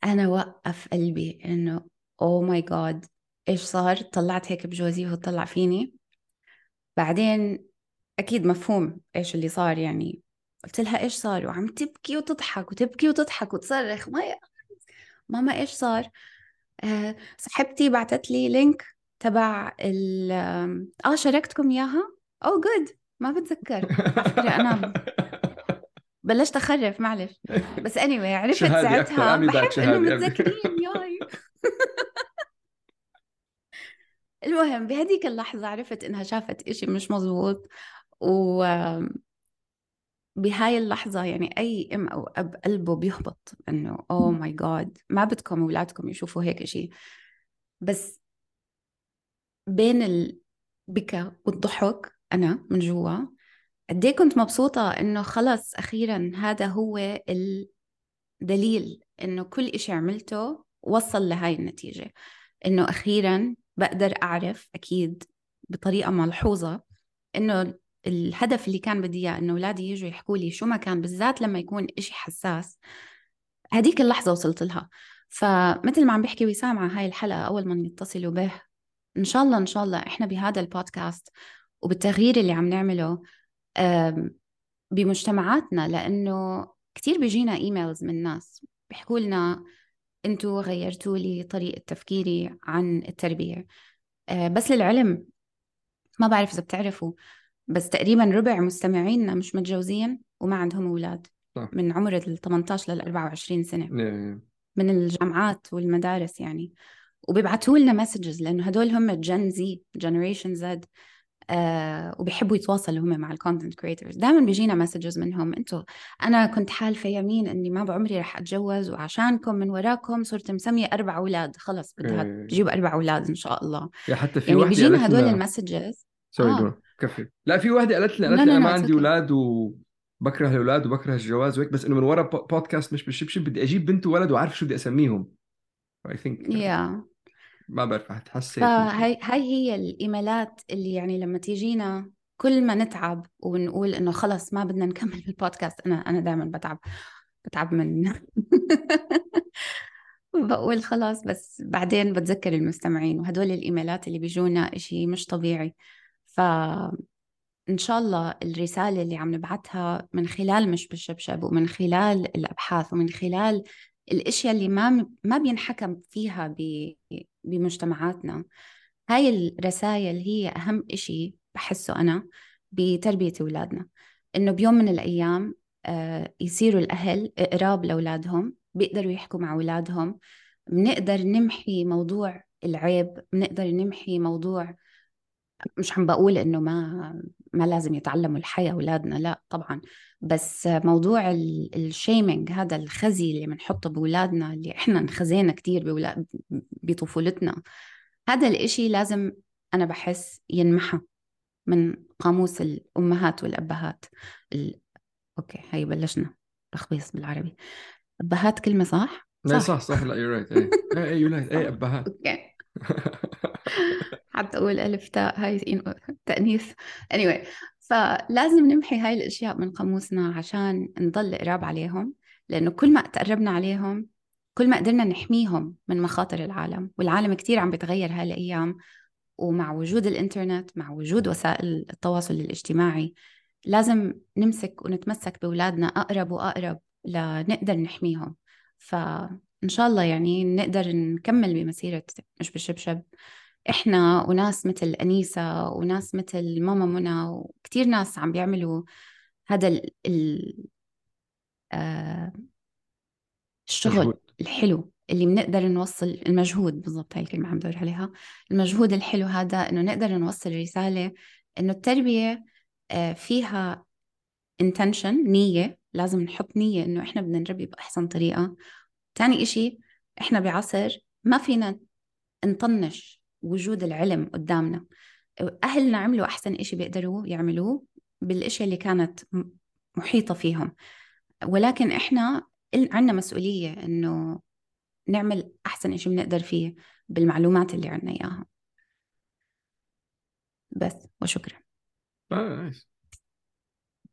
أنا وقف قلبي إنه oh my god إيش صار. طلعت هيك بجوزي وهو طلع فيني، بعدين أكيد مفهوم إيش اللي صار. يعني قلت لها إيش صار، وعم تبكي وتضحك وتبكي وتضحك وتصرخ ماما ماما إيش صار. أه صاحبتي بعتت لي لينك تبع ال آه شاركتكم إياها. أو جود ما بتذكر عفكرة أنا بلشت أخرف معلش، بس anyway عرفت ساعتها بحب إنه متذكرين ياي. المهم بهديك اللحظة عرفت إنها شافت إشي مش مزبوط، و بهاي اللحظة يعني أي أم أو أب قلبه بيهبط إنه أوه ماي جاد ما بدكم أولادكم يشوفوا هيك إشي. بس بين البكاء والضحك أنا من جوا قدي كنت مبسوطة إنه خلص أخيرا هذا هو الدليل إنه كل إشي عملته وصل لهاي النتيجة، إنه أخيرا بقدر أعرف أكيد بطريقة ملحوظة إنه الهدف اللي كان بدي إياه إنه أولادي يجوا يحكوا لي شو ما كان، بالذات لما يكون إشي حساس، هديك اللحظة وصلت لها. فمثل ما عم بحكي وسام عن هاي الحلقة أول ما يتصلوا به، إن شاء الله إن شاء الله إحنا بهذا البودكاست وبالتغيير اللي عم نعمله بمجتمعاتنا، لأنه كتير بيجينا إيميلز من ناس بيحكوا لنا أنتوا غيرتوا لي طريقة تفكيري عن التربية. بس للعلم ما بعرف إذا بتعرفوا بس تقريبا ربع مستمعيننا مش متجوزين وما عندهم أولاد من عمر ال ثمانية عشر لل أربعة وعشرين سنة من الجامعات والمدارس يعني، وبيبعتوا لنا مسجز لأنه هدول هم جن زي generation Z. آه وبيحبوا يتواصلوا هم مع الكونتنت كريتورز. دائما بيجينا مسجز منهم: انتوا انا كنت حالفه يمين اني ما بعمري رح اتجوز، وعشانكم من وراكم صرت مسميه اربع اولاد، خلص بدها إيه. تجيب اربع اولاد ان شاء الله. يا حتى في يعني واحدة بيجينا قالت هدول لنا المسجز. سوري آه. دور كفي. لا في واحدة قالت لي قالت لا لي لا أنا ما لا عندي it's okay. أولاد وبكره الأولاد وبكره الجواز وهيك، بس إنه من ورا بو- بودكاست مش بالشبشب بدي أجيب بنت وولد وعارف شو بدي أسميهم. I think yeah. ما بعرف هتحسيت. فهي هاي هي الإيميلات اللي يعني لما تيجينا كل ما نتعب ونقول إنه خلص ما بدنا نكمل بالبودكاست، أنا أنا دائما بتعب بتعب من بقول خلاص، بس بعدين بتذكر المستمعين، وهدول الإيميلات اللي بيجونا إشي مش طبيعي. فإن شاء الله الرسالة اللي عم نبعتها من خلال مش بالشبشب، ومن خلال الأبحاث، ومن خلال الأشياء اللي ما ما بينحكم فيها ب- بمجتمعاتنا، هاي الرسائل هي أهم إشي بحسه أنا بتربية أولادنا. إنه بيوم من الأيام آه، يصيروا الأهل قراب لأولادهم، بيقدروا يحكوا مع أولادهم، بنقدر نمحي موضوع العيب، بنقدر نمحي موضوع، مش عم بقول إنه ما ما لازم يتعلموا الحياة أولادنا، لا طبعا، بس موضوع الشيمينج، هذا الخزي اللي بنحطه بأولادنا، اللي إحنا انخزينا كتير بأولاد بطفولتنا، هذا الإشي لازم أنا بحس ينمحى من قاموس الأمهات والأبهات. ال... أوكي هاي بلشنا تخبيص بالعربي. أبهات كلمة صح؟ لا صح صح لا you're right. إيه إيه إيه you're right. إيه أبهات. أوكي حتى أقول ألف تاء هاي تأنيث. anyway فلازم نمحي هاي الأشياء من قاموسنا عشان نضل قراب عليهم، لأنه كل ما تقربنا عليهم كل ما قدرنا نحميهم من مخاطر العالم. والعالم كتير عم بيتغير هالأيام، ومع وجود الإنترنت، مع وجود وسائل التواصل الاجتماعي، لازم نمسك ونتمسك بأولادنا أقرب وأقرب لنقدر نحميهم. فإن شاء الله يعني نقدر نكمل بمسيرة مش بالشبشب، إحنا وناس مثل أنيسة وناس مثل ماما منى وكتير ناس عم بيعملوا هذا ال ال آه الشغل مجهود. الحلو اللي بنقدر نوصل، المجهود بالضبط، هاي الكلمة عم بدور عليها، المجهود الحلو هذا، إنه نقدر نوصل رسالة إنه التربية فيها intention، نية، لازم نحط نية إنه إحنا بدنا نربي بأحسن طريقة. تاني إشي، إحنا بعصر ما فينا نطنش وجود العلم قدامنا. أهلنا عملوا أحسن إشي بيقدروا يعملوه بالإشياء اللي كانت محيطة فيهم، ولكن إحنا عندنا مسؤولية إنه نعمل أحسن إشي بنقدر فيه بالمعلومات اللي عنا إياها. بس وشكرا. آه نايس.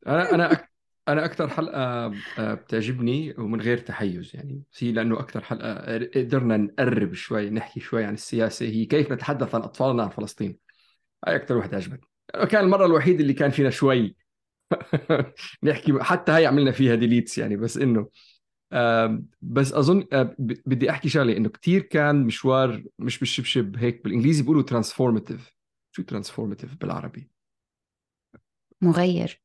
أنا أنا أك... أنا أكثر حلقة بتعجبني ومن غير تحيز يعني، هي لأنه أكثر حلقة قدرنا نقرب شوي، نحكي شوي عن السياسة، هي كيف نتحدث عن أطفالنا عن فلسطين. هاي أكثر واحدة عجبتني، كان المرة الوحيدة اللي كان فينا شوي نحكي، حتى هاي عملنا فيها ديليتس يعني، بس إنه آه بس أظن آه بدي أحكي شغلة، إنه كتير كان مشوار مش بالشبشب هيك، بالإنجليزي بيقولوا ترانسفورماتيف. شو ترانسفورماتيف بالعربي؟ مغير.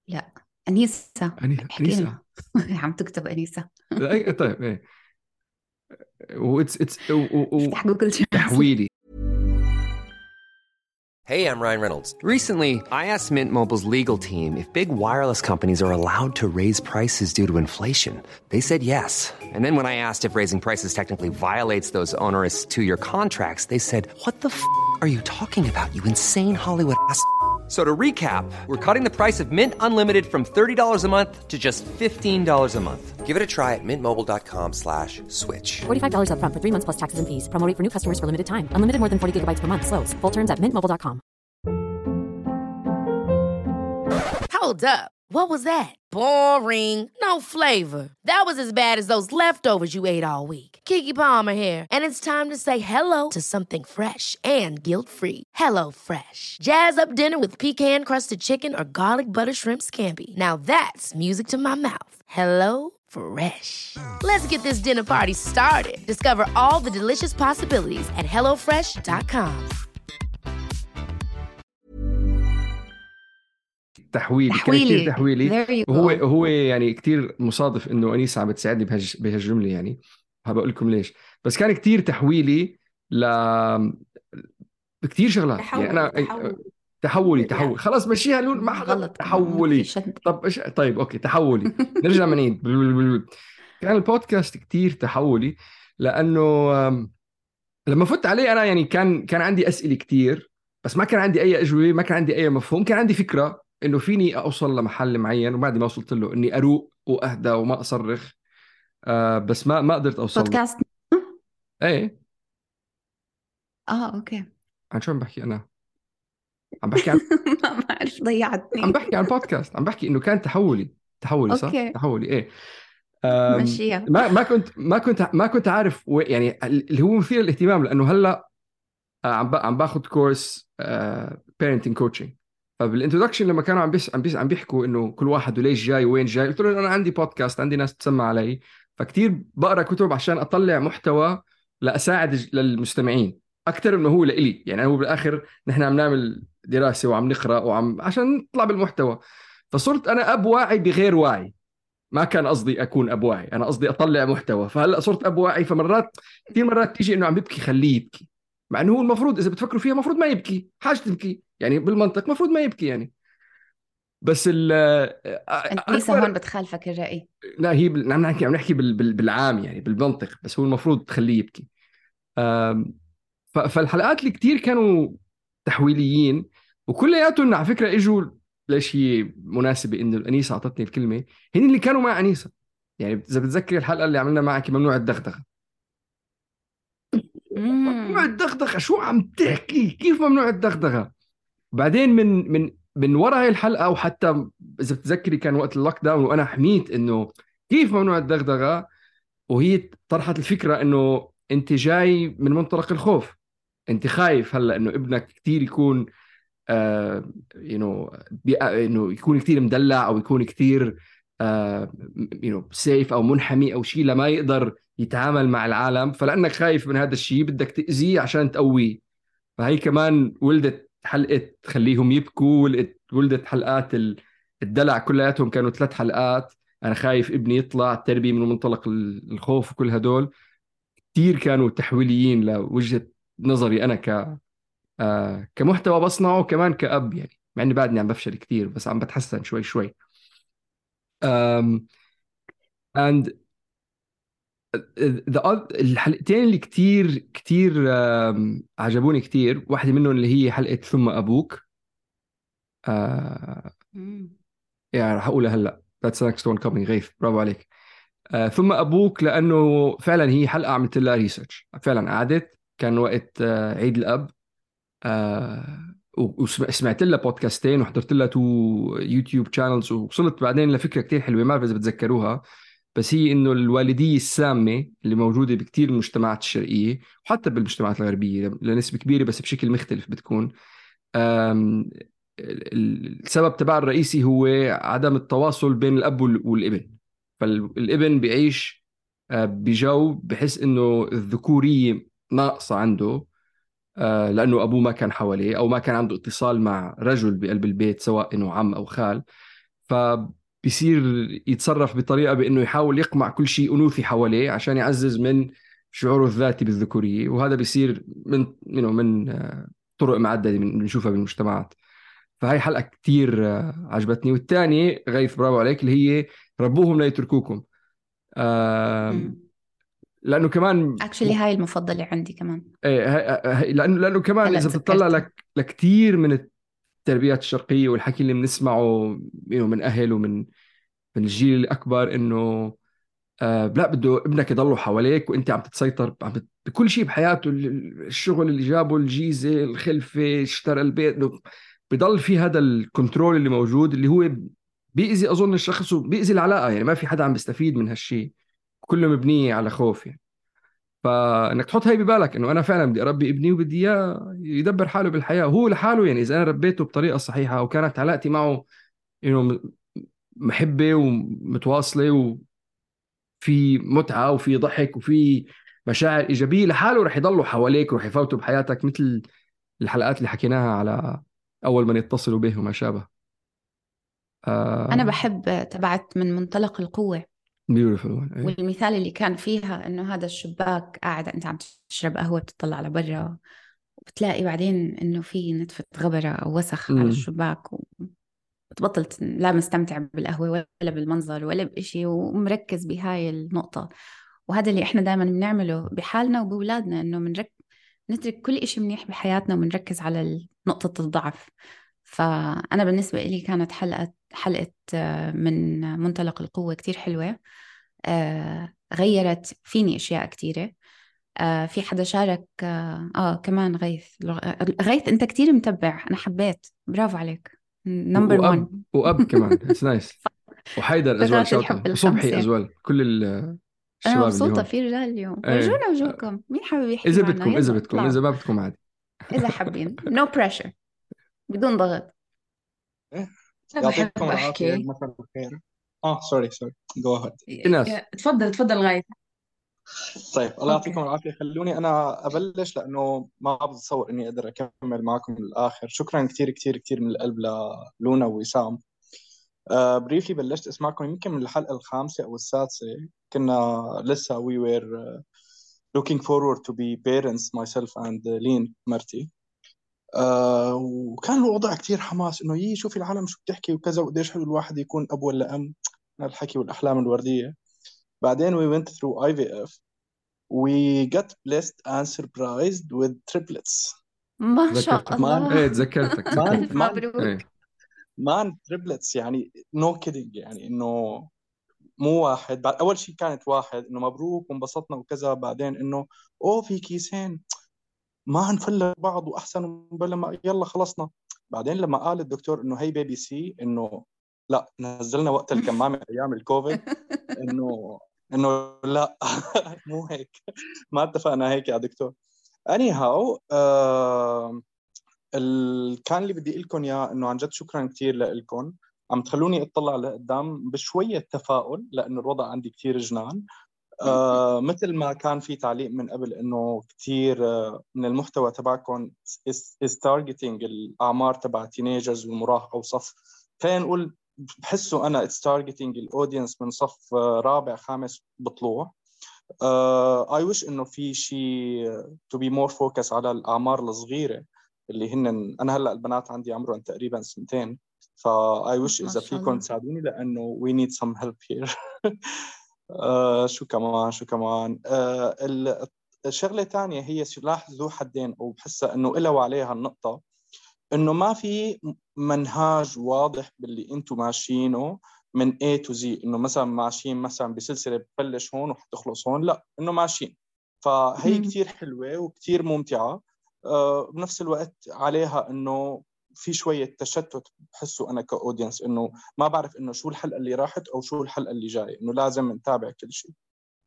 لا أنيسة. أنيسة احكي لنا. أنيسة. عم تكتب أنيسة. طيب إيه وإتس إتس افتح جوجل تحويلي. Hey, I'm Ryan Reynolds. Recently, I asked Mint Mobile's legal team if big wireless companies are allowed to raise prices due to inflation. They said yes. And then when I asked if raising prices technically violates those onerous two-year contracts, they said, "What the f*** are you talking about, you insane Hollywood ass?" So to recap, we're cutting the price of Mint Unlimited from thirty dollars a month to just fifteen dollars a month. Give it a try at mintmobile.com slash switch. forty-five dollars up front for three months plus taxes and fees. Promo rate for new customers for limited time. Unlimited more than forty gigabytes per month. Slows full terms at mint mobile dot com. Hold up. What was that? Boring. No flavor. That was as bad as those leftovers you ate all week. Keke Palmer here, and it's time to say hello to something fresh and guilt-free. Hello Fresh. Jazz up dinner with pecan-crusted chicken or garlic butter shrimp scampi. Now that's music to my mouth. Hello Fresh. Let's get this dinner party started. Discover all the delicious possibilities at hello fresh dot com. تحويلي تحويلي. كان كتير تحويلي. There you وهو go. هو يعني كتير مصادف إنه أنيسة عم بتساعدني بهج بهالجملة يعني، هبقول لكم ليش. بس كان كتير تحويلي ل بكتير شغلات يعني تحول انا تحول تحولي لا. تحول خلاص مشيها لون ما حدا غلط كمان، ما تحولي في شد. طب إيش طيب اوكي تحولي نرجع منين كان البودكاست كتير تحولي لانه آم، لما فت عليه انا يعني كان كان عندي اسئله كتير بس ما كان عندي اي اجوبه ما كان عندي اي مفهوم كان عندي فكره انه فيني اوصل لمحل معين وبعد ما وصلت له اني اروق واهدى وما اصرخ آه بس ما ما قدرت اوصل له بودكاست. ايه اه اوكي. عن شو عم بحكي انا عم بحكي عن ما بعرف ضيعتني. عم بحكي عن بودكاست عم بحكي انه كان تحولي تحولي صح أوكي. تحولي ايه أم، مشيها. ما ما كنت ما كنت ما كنت عارف و- يعني اللي هو مثير للاهتمام لانه هلا آه، عم با- عم باخذ كورس بيرنتنج كوتشنج فبالانترودكشن لما كانوا عم بيس عم بيس عم بيحكوا انه كل واحد وليش جاي وين جاي قلت له انا عندي بودكاست عندي ناس تسمع علي فكتير بقرا كتب عشان اطلع محتوى لاساعد ج- للمستمعين اكثر من هو لإلي يعني هو بالاخر نحن عم نعمل دراسه وعم نقرا وعم عشان نطلع بالمحتوى فصرت انا اب واعي بغير واعي ما كان قصدي اكون اب واعي انا قصدي اطلع محتوى فهلا صرت اب واعي فمرات كثير مرات تيجي انه عم ببكي خليه يبكي مع انه هو المفروض اذا بتفكروا فيها المفروض ما يبكي حاجه تبكي يعني بالمنطق المفروض ما يبكي يعني بس ال أنيسة هون بتخالفك الرأي. لا هي بال- عم نحكي عم نحكي بال... بال... بالعام يعني بالمنطق بس هو المفروض تخليه يبكي أم، ف... فالحلقات اللي كتير كانوا تحويليين وكلياتهم على فكره اجوا ليش هي مناسبه انه الانيسه اعطتني الكلمه هن اللي كانوا مع انيسه يعني اذا بتذكر الحلقه اللي عملنا معك ممنوع الدغدغه ممنوع الدغدغه شو عم تحكي كيف ممنوع الدغدغه بعدين من من من وراء هاي الحلقه وحتى اذا بتذكري كان وقت اللوك داون وانا حميت انه كيف ممنوع الدغدغه وهي طرحت الفكره انه انت جاي من منطلق الخوف انت خايف هلا انه ابنك كتير يكون آه يو انه يكون كتير مدلع او يكون كتير آه يو سيف او منحمي او شيء لما يقدر يتعامل مع العالم فلانك خايف من هذا الشيء بدك تاذيه عشان تقويه فهي كمان ولدت حلقه تخليهم يبكوا ولدت ولدت حلقات الدلع كلياتهم كانوا ثلاث حلقات انا خايف ابني يطلع التربيه من منطلق الخوف وكل هدول كتير كانوا تحويليين لوجهه نظري انا ك آه كمحتوى بصنعه وكمان كأب يعني مع اني بعدني عم بفشل كتير بس عم بتحسن شوي شوي um, and the other الحلقتين اللي كتير كتير um, عجبوني كتير واحدة منهم اللي هي حلقة ثم أبوك آه يعني رح أقولها هلأ that's the next one coming غيث برافو عليك آه ثم أبوك لأنه فعلا هي حلقة عملت لها ريسيرش فعلا قعدت كان وقت آه عيد الأب آه وسمعت لها بودكاستين وحضرت لها تو يوتيوب شانلز ووصلت بعدين لفكرة كتير حلوة ما بعرف إذا بتذكروها بس هي إنه الوالدية السامة اللي موجودة بكتير المجتمعات الشرقية وحتى بالمجتمعات الغربية لنسبة كبيرة بس بشكل مختلف بتكون السبب تبع الرئيسي هو عدم التواصل بين الأب والابن فالابن بيعيش بجو بحس إنه الذكورية ناقصة عنده لأنه أبوه ما كان حواليه أو ما كان عنده اتصال مع رجل بقلب البيت سواء إنه عم أو خال فبيصير يتصرف بطريقة بأنه يحاول يقمع كل شيء أنوثي حواليه عشان يعزز من شعوره الذاتي بالذكورية وهذا بيصير من من طرق معددة بنشوفها بالمجتمعات فهي حلقة كتير عجبتني والثانية غيث برافو عليك اللي هي ربوهم لا يتركوكم لانه كمان اكشلي هاي المفضله عندي كمان ايه لانه لانه كمان اذا بتطلع لك لكثير من التربيات الشرقيه والحكي اللي بنسمعه من اهل ومن من الجيل الاكبر انه آه لا بده ابنك يضله حواليك وانت عم تتسيطر عم بت... بكل شيء بحياته الشغل اللي جابه الجيزه الخلفه اشترى البيت بضل في هذا الكنترول اللي موجود اللي هو بيأذي اظن الشخص وبيأذي العلاقه يعني ما في حدا عم بيستفيد من هالشيء كله مبنيه على خوف يعني فانك تحط هاي ببالك انه انا فعلا بدي اربي ابني وبدي اياه يدبر حاله بالحياه وهو لحاله يعني اذا انا ربيته بطريقه صحيحه وكانت علاقتي معه انه محبه ومتواصله وفي متعه وفي ضحك وفي مشاعر ايجابيه لحاله رح يضلوا حواليك ورح يفوتوا بحياتك مثل الحلقات اللي حكيناها على اول من يتصلوا به وما شابه. آه انا بحب تبعت من منطلق القوه Beautiful. والمثال اللي كان فيها إنه هذا الشباك قاعد أنت عم تشرب قهوة بتطلع على برا بتلاقي بعدين إنه في نتفة غبرة أو وسخ على مم. الشباك، وبتبطل ت- لا مستمتع بالقهوة ولا بالمنظر ولا بإشي، ومركز بهاي النقطة. وهذا اللي إحنا دائما بنعمله بحالنا وبولادنا، إنه منرك نترك كل إشي منيح بحياتنا ومنركز على نقطة الضعف. فأنا بالنسبة لي كانت حلقة حلقة آه، من منطلق القوة كتير حلوة. آه، غيرت فيني أشياء كتيرة. آه، في حدا شارك آه, آه كمان غيث. غيث أنت كتير متبع، أنا حبيت، برافو عليك، نمبر وأب وان. وأب كمان اتس نايس. وحيدر أزوال فقرات شوت الحب أوت، وصبحي الخمسة. أزوال، كل ال- أنا الشباب اللي مبسوطة هون. في رجال اليوم. ايه ورجونا وجوكم، مين حابب يحكي إذا معنا؟ بدكم إذا يلا بدكم اطلعوا إذا ما بدكم عادي. إذا حابين. no pressure، بدون ضغط. إيه. أنا يعطيكم بحب العافية، أحكي. مساء الخير. اه سوري سوري جو اهيد. في ناس تفضل تفضل غاية. طيب الله يعطيكم أوكي. العافية، خلوني أنا أبلش لأنه ما بتصور إني أقدر أكمل معكم للآخر. شكرا كثير كثير كثير من القلب للونا ووسام. آه بريفلي بلشت أسمعكم يمكن من الحلقة الخامسة أو السادسة. كنا لسه we were uh, looking forward to be parents myself and لين مرتي. آه وكان الوضع كتير حماس إنه يي شوفي العالم شو بتحكي وكذا، وقديش حلو الواحد يكون أب ولا أم، الحكي والأحلام الوردية. بعدين we went through آي في إف. we got blessed and surprised with triplets. ما شاء تذكرتك الله. ايه تذكرتك مان تذكرتك مان مبروك. ايه مان triplets يعني no kidding، يعني إنه مو واحد. بعد أول شيء كانت واحد إنه مبروك وانبسطنا وكذا، بعدين إنه أوه في كيسين ما هنفلق بعض وأحسن بلا ما يلا خلصنا. بعدين لما قال الدكتور إنه هي بيبي سي، إنه لا نزلنا وقت الكمامة أيام الكوفيد، إنه إنه لا مو هيك، ما اتفقنا هيك يا دكتور. anyhow آه ال... كان اللي بدي لكم اياه انه عن جد شكرا كثير لكم، عم تخلوني اطلع لقدام بشويه تفاؤل لانه الوضع عندي كثير جنان. آه مثل ما كان في تعليق من قبل انه كثير آه من المحتوى تبعكم is, is targeting الاعمار تبع تينيجرز والمراهقه وصف، خلينا نقول بحسه انا it's targeting الاودينس من صف آه رابع خامس بطلوع. Uh, I wish إنه في شيء to be more focus على الأعمار الصغيرة اللي هن. أنا هلأ البنات عندي عمرهم تقريبا سنتين، فا I wish إذا فيكم تساعدوني لأنه we need some help here. uh, شو كمان شو كمان uh, الشغلة الثانية هي سلاح ذو حدين، أو بحسها إنه إلوا عليها النقطة إنه ما في منهاج واضح باللي أنتم ماشيينه من A to Z، إنه مثلا ماشيين مثلا بسلسلة ببلش هون وحتخلص هون، لا إنه ماشيين. فهي كتير حلوة وكتير ممتعة. أه بنفس الوقت عليها إنه في شوية تشتت بحسه أنا كأودينس، إنه ما بعرف إنه شو الحلقة اللي راحت أو شو الحلقة اللي جاية، إنه لازم نتابع كل شيء.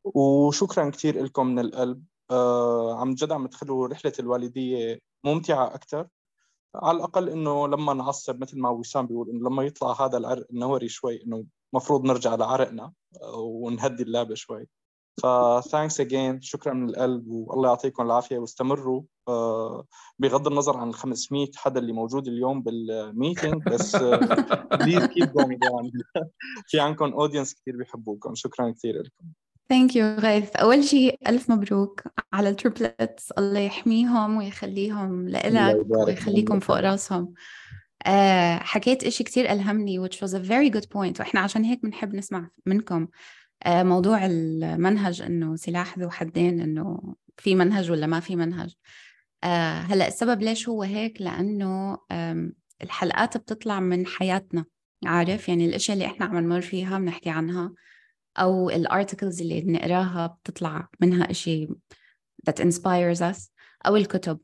وشكرا كتير لكم من القلب. أه عم جد عم تخلوا رحلة الوالدية ممتعة أكتر. على الأقل إنه لما نعصب مثل ما وسام بيقول، إنه لما يطلع هذا العرق النوري شوي، إنه مفروض نرجع لعرقنا ونهدي اللعبة شوي. فتانكس أجين، شكرا من القلب، والله يعطيكم العافية واستمروا. بغض النظر عن خمسمية حدا اللي موجود اليوم بالميتينج، بس please keep going on. في عندكم أودينس كتير بيحبوكم. شكرا كتير لكم. ثانك يو غيث. أول شيء ألف مبروك على التريبلتس، الله يحميهم ويخليهم لإلك ويخليكم فوق راسهم. أه حكيت إشي كتير ألهمني which was a very good point، وإحنا عشان هيك بنحب نسمع منكم. أه موضوع المنهج إنه سلاح ذو حدين، إنه في منهج ولا ما في منهج. أه هلأ السبب ليش هو هيك، لأنه الحلقات بتطلع من حياتنا، عارف يعني الأشياء اللي إحنا عم نمر فيها بنحكي عنها، أو الارتكلز اللي بنقراها بتطلع منها إشي that inspires us، أو الكتب.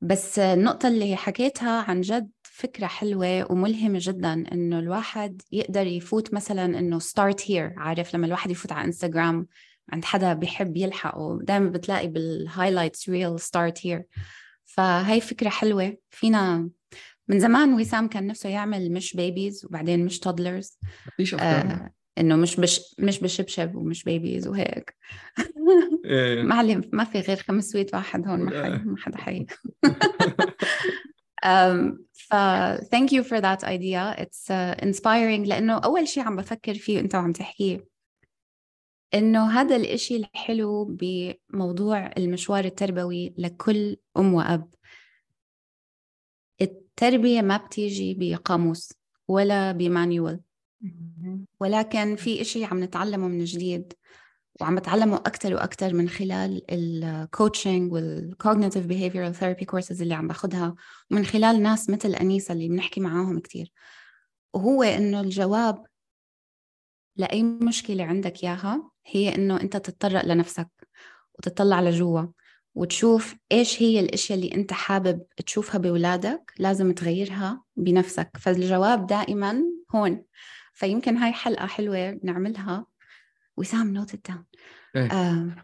بس النقطة اللي حكيتها عن جد فكرة حلوة وملهمة جدا، إنه الواحد يقدر يفوت مثلا إنه start here. عارف لما الواحد يفوت على إنستغرام عند حدا بيحب يلحقه، دائما بتلاقي بالهايلايتس real start here. فهي فكرة حلوة. فينا من زمان وسام كان نفسه يعمل مش بيبيز وبعدين مش toddlers، مفيش أفكار آه إنه مش بش مش بشبشب ومش بيبيز وهيك. إيه. معلم ما في غير خمسمية واحد هون، ما حي ما حدا حي. um, ف thank you for that idea. It's uh, inspiring. لأنه أول شيء عم بفكر فيه أنت وعم تحكيه، إنه هذا الإشي الحلو بموضوع المشوار التربوي لكل أم وأب، التربية ما بتيجي بقاموس ولا بمانيوال، ولكن في إشي عم نتعلمه من جديد، وعم بتعلمه أكتر وأكتر من خلال الكوتشنج والcognitive behavioral therapy courses اللي عم باخدها، ومن خلال ناس مثل أنيسة اللي بنحكي معاهم كتير. وهو إنه الجواب لأي مشكلة عندك إياها هي إنه أنت تتطرق لنفسك وتطلع لجوا وتشوف إيش هي الأشياء اللي أنت حابب تشوفها بولادك لازم تغيرها بنفسك. فالجواب دائما هون. فيمكن هاي حلقة حلوة نعملها. وسام note it down. um,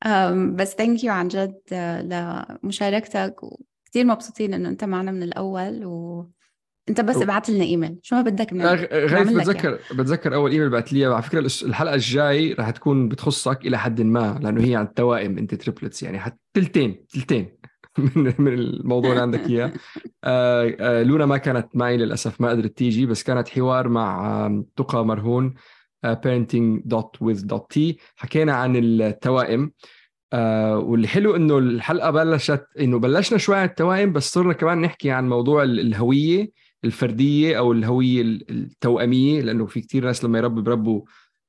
um, بس thank you عن جد uh, لمشاركتك، وكتير مبسوطين إنه أنت معنا من الأول. وأنت بس ابعت لنا إيميل شو ما بدك من غير بتذكر يعني. بتذكر أول إيميل بعت لي على فكرة الحلقة الجاي راح تكون بتخصك إلى حد ما، لأنه هي عن التوائم. أنت تريبلتس يعني حتى تلتين تلتين من من الموضوع اللي عندك إياه. آه آه لونا ما كانت معي للأسف، ما قدرت تيجي، بس كانت حوار مع آه تقى مرهون آه parenting dot with dot t. حكينا عن التوائم. آه واللي حلو إنه الحلقة بلشت إنه بلشنا شوي عن التوائم، بس صرنا كمان نحكي عن موضوع الهوية الفردية أو الهوية التوأمية، لأنه في كتير ناس لما يربوا بربوا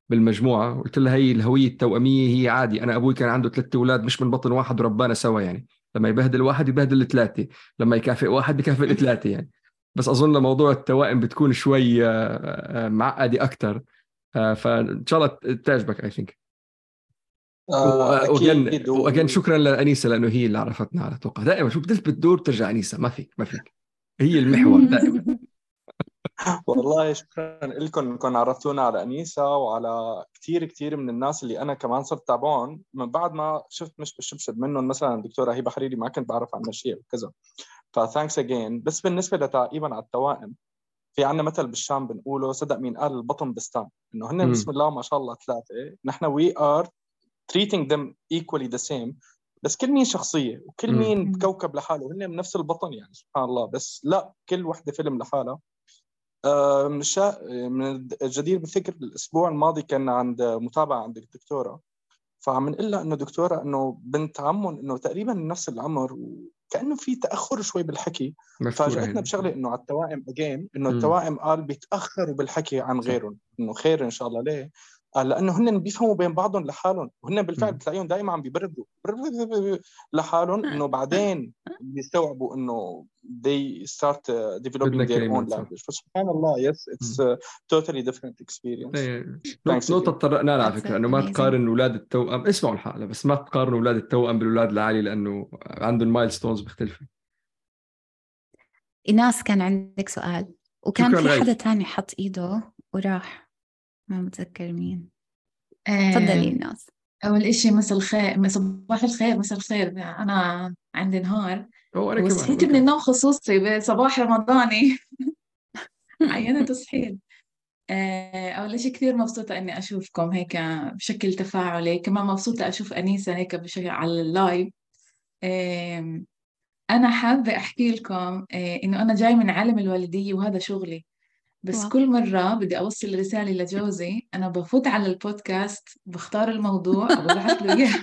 بالمجموعة. قلت لها هي الهوية التوأمية هي عادي. أنا أبوي كان عنده ثلاثة أولاد مش من بطن واحد وربانا سوا، يعني لما يبهدل واحد يبهدل الثلاثة، لما يكافئ واحد بكافئ الثلاثة يعني. بس أظن موضوع التوائم بتكون شوي معقدة أكتر، فإن شاء الله تعجبك I think. وأجن وأجن شكرا لأنيسة لأنه هي اللي عرفتنا على توقع. دائما شو بتلف بتدور ترجع أنيسة، ما فيك ما فيك هي المحور دائما. والله شكرا لكم انكم عرفتونا على أنيسة وعلى كتير كتير من الناس اللي أنا كمان صرت تابعهم من بعد ما شفت مش بالشبشب منهم. مثلا الدكتورة هبة حريري ما كنت بعرف عن مشيئة وكذا، فثانكس أجين. بس بالنسبة لتعقيبا على التوائم، في عنا مثل بالشام بنقوله صدق مين قال البطن بستان، إنه هن بسم الله ما شاء الله ثلاثة، نحن we are treating them equally the same، بس كل مين شخصية وكل مين بكوكب لحاله، هن من نفس البطن يعني سبحان الله. بس لا، كل وحدة فيلم لحالها. مش من الجدير بالذكر الأسبوع الماضي كان عند متابعة عند الدكتورة، فعم نقول لها إنه دكتورة إنه بنت عمهم إنه تقريبا نفس العمر وكأنه في تأخر شوي بالحكي. فاجأتنا بشغلة إنه على التوائم أجين، إنه التوائم قال بيتأخروا بالحكي عن غيرهم، إنه خير إن شاء الله. ليه؟ قال لأنه هن بيفهموا بين بعضهم لحالهم، وهن بالفعل بتلاقيهم دائما عم بيبردوا لحالهم، إنه بعدين بيستوعبوا إنه they start developing their own language. فسبحان الله yes it's a totally different experience. نقطة تطرقنا لها على فكرة إنه ما تقارن أولاد التوأم، اسمعوا الحلقة بس ما تقارن أولاد التوأم بالأولاد العالي لأنه عندهم مايلستونز مختلفة. إيناس كان عندك سؤال وكان في حدا تاني حط إيده وراح ما متذكر مين. تفضلي إيناس. أول إشي مساء الخير، صباح الخير، مساء الخير. أنا عندي نهار وصحيت من النوم خصوصي بصباح رمضاني عينة تصحيل. أول إشي كثير مبسوطة إني أشوفكم هيك بشكل تفاعلي، كمان مبسوطة أشوف أنيسة هيك بشكل على اللايف. أنا حابة أحكي لكم إنه أنا جاي من عالم الوالدية وهذا شغلي، بس واو. كل مرة بدي أوصل رسالة لجوزي أنا بفوت على البودكاست بختار الموضوع وببعث له إياه.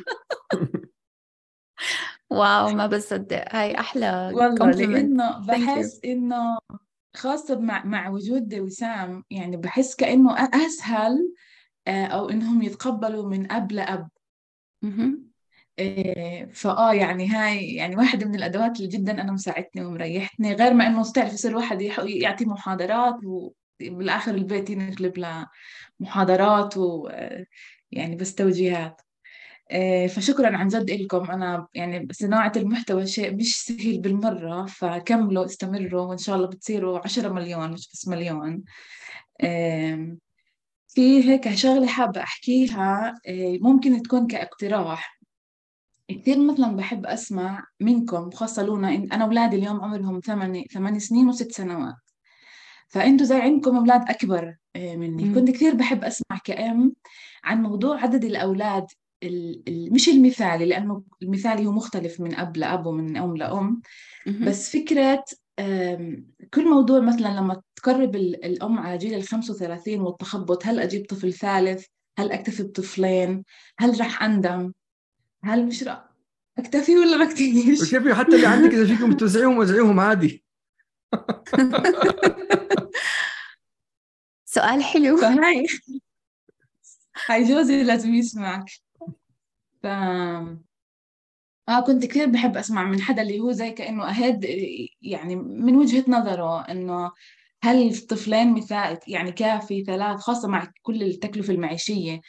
واو ما بصدق، هاي أحلى والله، لأنه بحس إنه خاصة مع مع وجود وسام، يعني بحس كأنه أسهل أو إنهم يتقبلوا من أب لأب. فآه يعني هاي يعني واحدة من الأدوات اللي جدا أنا مساعدتني ومريحتني، غير ما إنه تعرف يصير واحد يعطي محاضرات وبالآخر البيت ينقلب له محاضرات ويعني بس توجيهات. فشكرا عن جد لكم. أنا يعني صناعة المحتوى شيء مش سهل بالمرة، فكملوا استمروا وإن شاء الله بتصيروا عشرة مليون مش بس مليون. في هيك شغلة حابة أحكيها ممكن تكون كاقتراح. كثير مثلا بحب أسمع منكم، خاصة لونا، إن أنا أولادي اليوم عمرهم ثمان ثمان سنين وست سنوات، فأنتوا زي عندكم أولاد أكبر مني. م- كنت كثير بحب أسمع كأم عن موضوع عدد الأولاد مش المثالي، لأنه المثالي هو مختلف من أب لأب ومن أم لأم، بس فكرة كل موضوع مثلا لما تقرب الأم على جيل الخمس وثلاثين والتخبط، هل أجيب طفل ثالث؟ هل أكتفي بطفلين؟ هل رح أندم؟ هل مش رأ... اكتفي ولا ما اكتفيش؟ اكتفي، حتى اللي عندك إذا فيكم توزعيهم وزعيهم عادي. سؤال حلو. فهاي هاي جوزي لازم يسمعك. ف اه كنت كثير بحب اسمع من حدا اللي هو زي كأنه أهد، يعني من وجهة نظره انه هل الطفلين مثال يعني كافي، ثلاث، خاصة مع كل التكلفة المعيشية.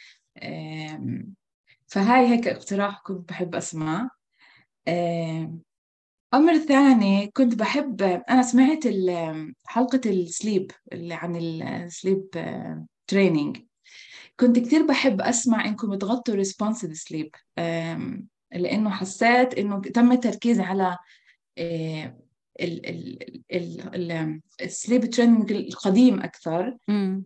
آم، فهاي هيك اقتراح كنت بحب اسمع. آم، أمر ثاني كنت بحب، أنا سمعت ال- حلقة السليب اللي عن السليب تريننج، كنت كتير بحب أسمع إنكم تغطوا responsive sleep، أم، لأنه حسيت إنه تم التركيز على السليب تريننج القديم أكثر. مم.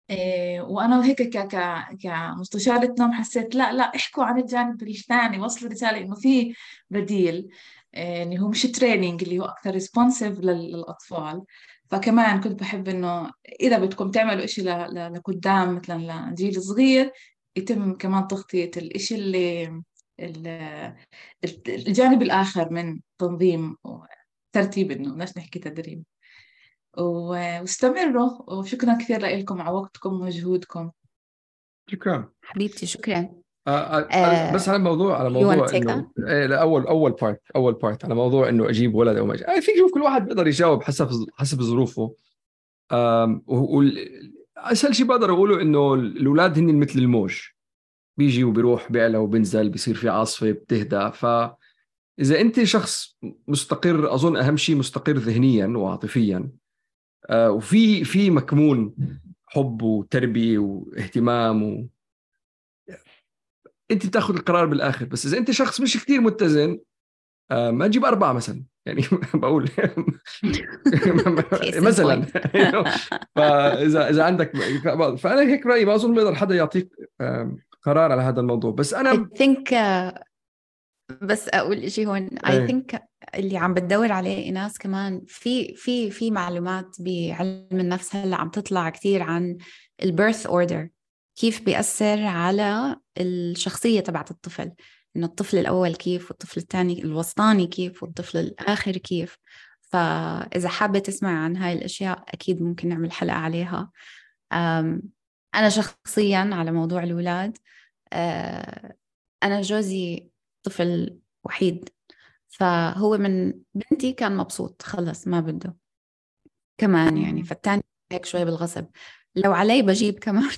إيه، وأنا هيك ك ك كمستشارة نوم حسيت لا لا احكوا عن الجانب الثاني، وصلوا رسالة إنه في بديل، إيه، اللي هو مش تريننج، اللي هو أكثر ريسبونسيف للأطفال. فكمان كنت بحب إنه إذا بدكم تعملوا إشي ل- ل- لقدام مثلا لجيل صغير، يتم كمان تغطية الإشي اللي ال- الجانب الآخر من تنظيم وترتيب، إنه بدناش نحكي تدريب. واستمروا، وشكرا كثير لكم على وقتكم ومجهودكم. شكرا حبيبتي شكرا. آه آه آه، بس على الموضوع على you موضوع wanna take انه إيه، لا، اول اول بارت اول بارت على موضوع انه اجيب ولد او ما اجيب. في شوف كل واحد بيقدر يجاوب حسب حسب ظروفه. آم، وال- اسهل شيء بقدر اقوله انه الاولاد هن مثل الموج، بيجي وبيروح، بيعلى وبنزل، بيصير في عاصفه بتهدى. فاذا انت شخص مستقر، اظن اهم شيء مستقر ذهنيا وعاطفيا، آه، وفي في مكمون حب وتربيه واهتمام و... انت بتاخذ القرار بالاخر. بس اذا انت شخص مش كتير متزن، آه، ما تجيب اربعه مثلا، يعني بقول مثلا. فاذا اذا عندك، فانا هيك رايي، ما اظن بيقدر حدا يعطيك آه، قرار على هذا الموضوع. بس انا I think uh, بس أقول إشي هون. I ايه think اللي عم بتدور عليه إيناس كمان في في في معلومات بعلم النفس هلا عم تطلع كتير عن البيرث اوردر، كيف بيأثر على الشخصية تبعت الطفل، إنه الطفل الأول كيف، والطفل الثاني الوسطاني كيف، والطفل الآخر كيف. فإذا حابة تسمع عن هاي الأشياء أكيد ممكن نعمل حلقة عليها. أم، أنا شخصياً على موضوع الأولاد، أه، أنا جوزي طفل وحيد، فهو من بنتي كان مبسوط خلص ما بده كمان يعني، فالتاني هيك شوي بالغصب. لو علي بجيب كمان.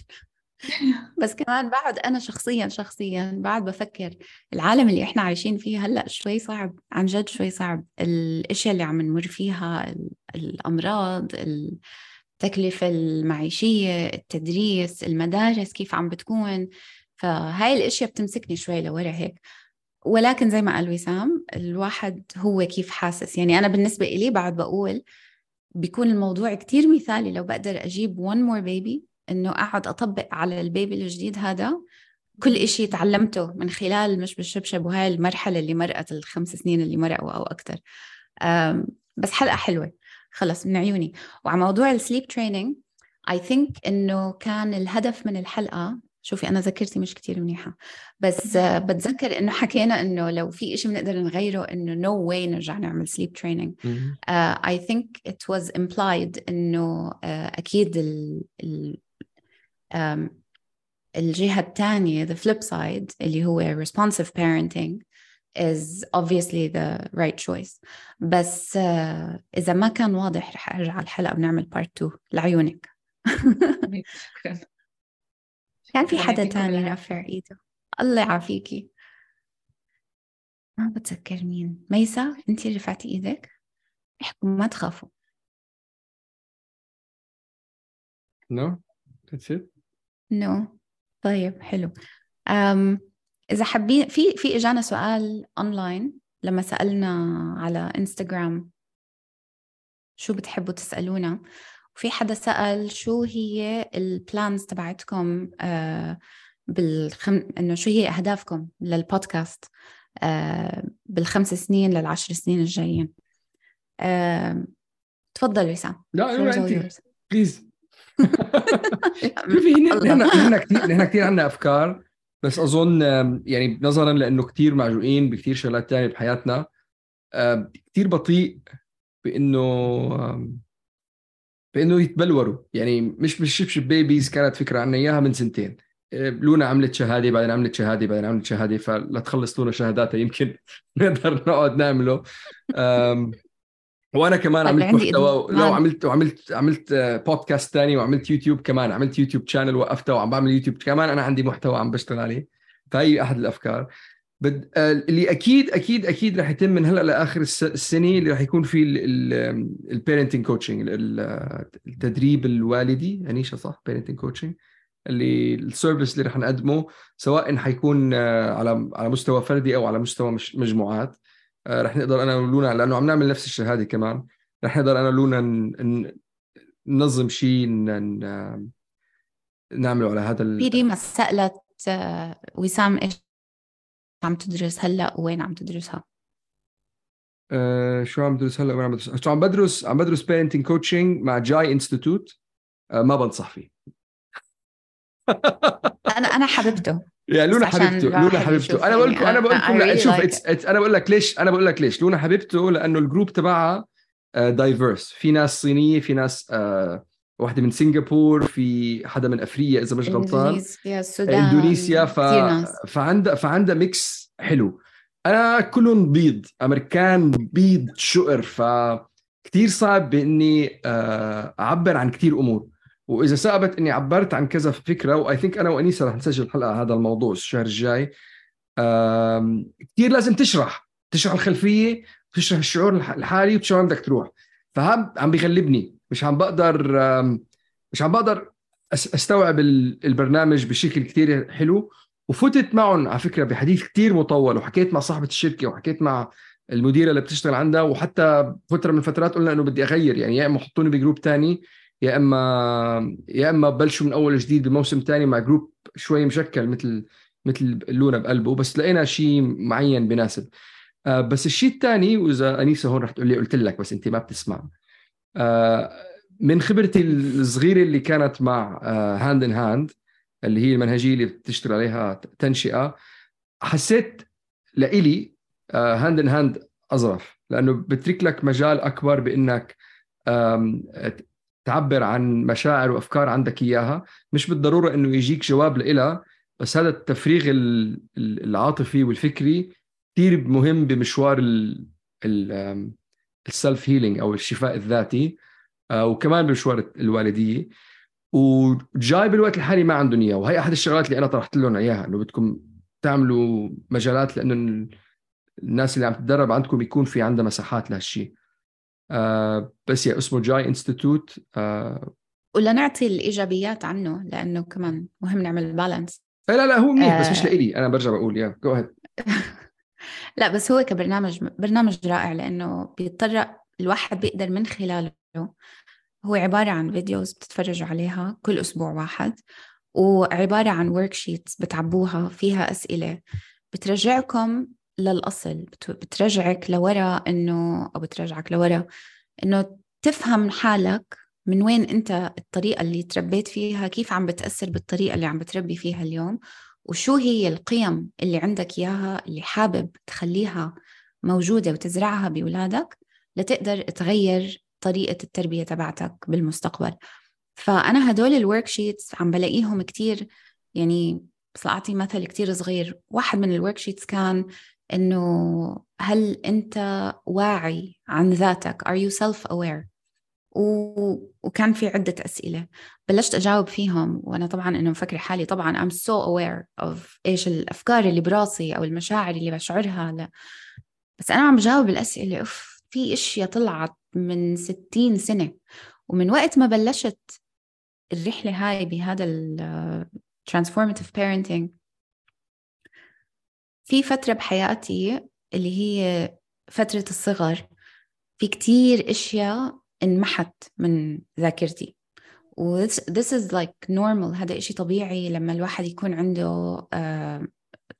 بس كمان بعد أنا شخصيا شخصيا بعد بفكر العالم اللي إحنا عايشين فيه هلأ شوي صعب، عن جد شوي صعب. الأشياء اللي عم نمر فيها، ال- الأمراض، التكلفة المعيشية، التدريس، المدارس كيف عم بتكون، فهاي الأشياء بتمسكني شوي لورا هيك. ولكن زي ما قال وسام، الواحد هو كيف حاسس. يعني أنا بالنسبة إلي بعد بقول بيكون الموضوع كتير مثالي لو بقدر أجيب one more baby، إنه أقعد أطبق على البيبي الجديد هذا كل إشي تعلمته من خلال مش بالشبشب وهاي المرحلة اللي مرقت الخمس سنين اللي مرقوا أو أكتر. بس حلقة حلوة خلص من عيوني. وعلى موضوع السليب تريننج I think إنه كان الهدف من الحلقة، شوفي أنا ذاكرتي مش كتير منيحة، بس uh, بتذكر إنه حكينا إنه لو في إشي بنقدر نغيره إنه no way نرجع نعمل sleep training. uh, I think it was implied إنه uh, أكيد ال, ال, um, الجهة الثانية the flip side اللي هو responsive parenting is obviously the right choice. بس uh, إذا ما كان واضح رح أرجع الحلقة ونعمل part two لعيونك. كان في حدا تاني رافع ايده، الله يعافيكي، ما بتذكر مين. ميسا انتي رفعتي ايدك، احكوا ما تخافوا. no that's it no طيب حلو. أم إذا حابين، في في إجانا سؤال أونلاين لما سألنا على إنستغرام شو بتحبوا تسألونا، وفي حدا سأل شو هي البلانز تبعتكم آه بالخم... إنه شو هي أهدافكم للبودكاست آه بالخمس سنين للعشر سنين الجايين. آه تفضل وسام. لا أنت بليز. شوفي نحن نحن كثير نحن كثير عندنا أفكار، بس أظن يعني نظرا لأنه كتير معجوقين بكتير شغلات تانية بحياتنا، كتير بطيء بأنه بأنه يتبلوروا. يعني مش بالشبشب بيبيز كانت فكرة عنا إياها من سنتين. لونا عملت شهادة بعدين عملت شهادة بعدين عملت شهادة، فلا تخلص لونا شهاداتها يمكن نقدر نقعد نعمله. وانا كمان عملت محتوى، لو عملت وعملت عملت بودكاست تاني وعملت يوتيوب كمان، عملت يوتيوب شانل وقفته وعم بعمل يوتيوب كمان، انا عندي محتوى عم بشتغل عليه. فهي احد الافكار بد... اللي اكيد اكيد اكيد رح يتم من هلا لاخر السنه، اللي رح يكون فيه البيرنتنج كوتشنج، التدريب الوالدي. انيشا صح؟ بيرنتنج كوتشنج اللي السيرفيس اللي رح نقدمه، سواء حيكون على على مستوى فردي او على مستوى مجموعات. رح نقدر أنا ولونا، لأنه عم نعمل نفس الشهادة كمان، رح نقدر أنا ولونا ننظم شيء نعمله على هذا ال... في ريما سألت وسام إيش عم تدرس هلأ وين عم تدرسها؟ أه شو عم بدرس هلأ وين عم بدرس؟ شو عم بدرس؟ عم بدرس parenting coaching مع جاي انستيتوت. أه ما بنصح فيه. أنا أنا حبيبته. يا لونا حبيبته، لونا حبيبته. انا بقول لكم انا بقول لكم لا شوف it's, it's انا بقول لك ليش انا بقول لك ليش لونا حبيبته، لانه الجروب تبعها دايفيرس. في ناس صينيه، في ناس آه واحده من سنغافور، في حدا من افريقيا اذا مش غلطان، اندونيسيا، السودان، اندونيسيا. ف... فعندها فعندها ميكس حلو. انا كلهم بيض امريكان، بيض شقر، فكتير صعب باني آه اعبر عن كتير امور. وإذا ثابت إني عبرت عن كذا فكرة، وآي ثينك أنا وأنيسة رح نسجل حلقة هذا الموضوع الشهر الجاي، كتير لازم تشرح تشرح الخلفية، تشرح الشعور الحالي، وتشرح وين بدك تروح. فهم عم بيغلبني، مش عم بقدر مش عم بقدر أستوعب البرنامج بشكل كتير حلو. وفتت معهم على فكرة بحديث كتير مطول، وحكيت مع صاحبة الشركة وحكيت مع المديرة اللي بتشتغل عندها، وحتى فترة من الفترات قلنا إنه بدي أغير، يعني يا إما حطوني بجروب تاني، يا اما يا اما بلشوا من اول جديد بموسم تاني مع جروب شوي مشكل مثل مثل لونا بقلبه. بس لقينا شيء معين بناسب. آه بس الشيء الثاني، واذا انيسه هون رح تقول لي قلت لك بس انت ما بتسمع، آه من خبرتي الصغيره اللي كانت مع هاند ان هاند، اللي هي المنهجيه اللي بتشتغل عليها تنشئه، حسيت لإلي هاند ان هاند اظرف، لانه بترك لك مجال اكبر بانك تعبر عن مشاعر وأفكار عندك إياها. مش بالضرورة إنه يجيك جواب لإلها، بس هذا التفريغ العاطفي والفكري كتير مهم بمشوار السلف هيلينج أو الشفاء الذاتي، وكمان بمشوار الوالدية. وجاي بالوقت الحالي ما عندهم إياه، وهي أحد الشغلات اللي أنا طرحت لهم إياها، إنه بدكم تعملوا مجالات، لأنه الناس اللي عم تتدرب عندكم يكون في عندها مساحات لهالشيء. آه بس يا اسمه جاي انستيتوت. آه ولا نعطي الإيجابيات عنه، لأنه كمان مهم نعمل بالانس. لا لا هو منيح، آه بس مش لإلي. أنا برجع بقول يا جو هيد. لا بس هو كبرنامج برنامج رائع، لأنه بيضطر الواحد بيقدر من خلاله، هو عبارة عن فيديوز بتتفرجوا عليها كل أسبوع واحد، وعبارة عن ورك شيتس بتعبوها فيها أسئلة بترجعكم للأصل، بترجعك لورا إنه أو بترجعك لورا إنه تفهم حالك من وين أنت، الطريقة اللي تربيت فيها كيف عم بتأثر بالطريقة اللي عم بتربي فيها اليوم، وشو هي القيم اللي عندك إياها اللي حابب تخليها موجودة وتزرعها بأولادك لتقدر تغير طريقة التربية تبعتك بالمستقبل. فأنا هدول الورك شيتس عم بلاقيهم كتير، يعني بس أعطي مثل كتير صغير. واحد من الورك شيتس كان إنه هل أنت واعي عن ذاتك؟ Are you self-aware؟ و... وكان في عدة أسئلة بلشت أجاوب فيهم، وأنا طبعاً إنه مفكر حالي طبعاً I'm so aware of إيش الأفكار اللي براسي أو المشاعر اللي بشعرها. لا. بس أنا عم بجاوب الأسئلة، أوف في إشياء طلعت من ستين سنة. ومن وقت ما بلشت الرحلة هاي بهذا ال transformative parenting، في فترة بحياتي اللي هي فترة الصغر، في كتير إشياء انمحت من ذاكرتي. و this is like normal، هذا إشي طبيعي لما الواحد يكون عنده uh,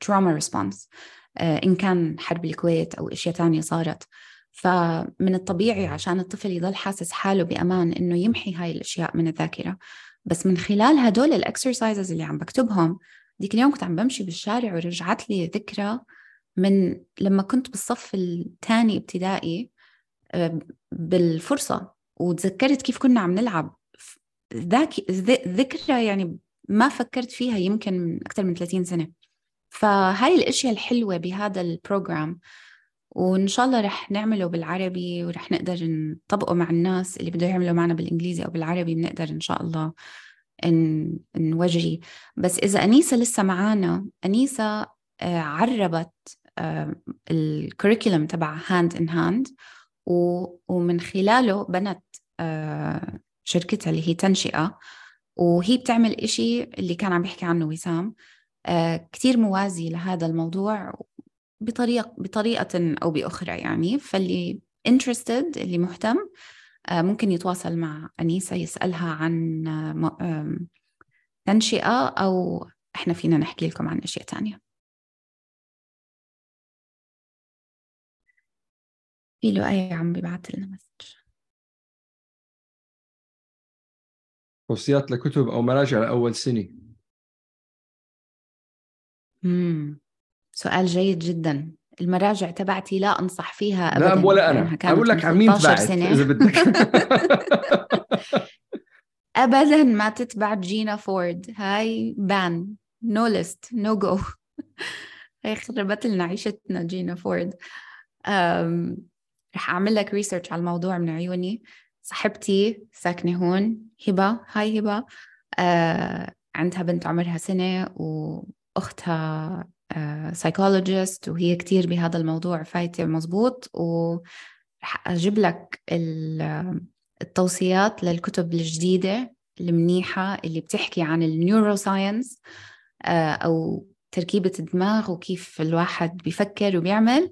trauma response، uh, إن كان حرب الكويت أو إشياء تانية صارت. فمن الطبيعي عشان الطفل يضل حاسس حاله بأمان إنه يمحي هاي الأشياء من الذاكرة. بس من خلال هدول الأكسرسايزز اللي عم بكتبهم ديك اليوم كنت عم بمشي بالشارع ورجعت لي ذكرى من لما كنت بالصف الثاني ابتدائي بالفرصة، وتذكرت كيف كنا عم نلعب ذاك ذكرى يعني ما فكرت فيها يمكن من أكثر من ثلاثين سنة. فهاي الأشياء الحلوة بهذا البروجرام، وإن شاء الله رح نعمله بالعربي ورح نقدر نطبقه مع الناس اللي بده يعملوا معنا بالإنجليزي أو بالعربي، بنقدر إن شاء الله إن نوجري. بس إذا أنيسة لسه معانا، أنيسة عربت الكوريكولم تبع هاند إن هاند، ومن خلاله بنت شركتها اللي هي تنشئة، وهي بتعمل إشي اللي كان عم بيحكي عنه وسام كتير موازي لهذا الموضوع بطريقة بطريقة أو بأخرى يعني. فاللي interested اللي مهتم ممكن يتواصل مع أنيسة يسألها عن تنشئة، أو إحنا فينا نحكي لكم عن أشياء تانية. في له أي عم بيبعت لنا مسج توصيات لكتب أو مراجع لأول سنة. مم. سؤال جيد جدا. المراجع تبعتي لا أنصح فيها أبدا، لا ولا أنا أقول لك عن مين تبعت إذا بدك. أبدا ما تتبع جينا فورد، هاي بان، نو ليست، نو جو. هاي خربت لنا عيشتنا جينا فورد. أم... رح أعمل لك ريسيرش على الموضوع من عيوني. صاحبتي ساكنة هون، هبة، هاي هبة، أه... عندها بنت عمرها سنة وأختها سايكولوجيست، وهي كتير بهذا الموضوع فايتة مزبوط، ورح أجيب لك التوصيات للكتب الجديدة المنيحة اللي بتحكي عن النيوروساينس أو تركيبة الدماغ وكيف الواحد بيفكر وبيعمل،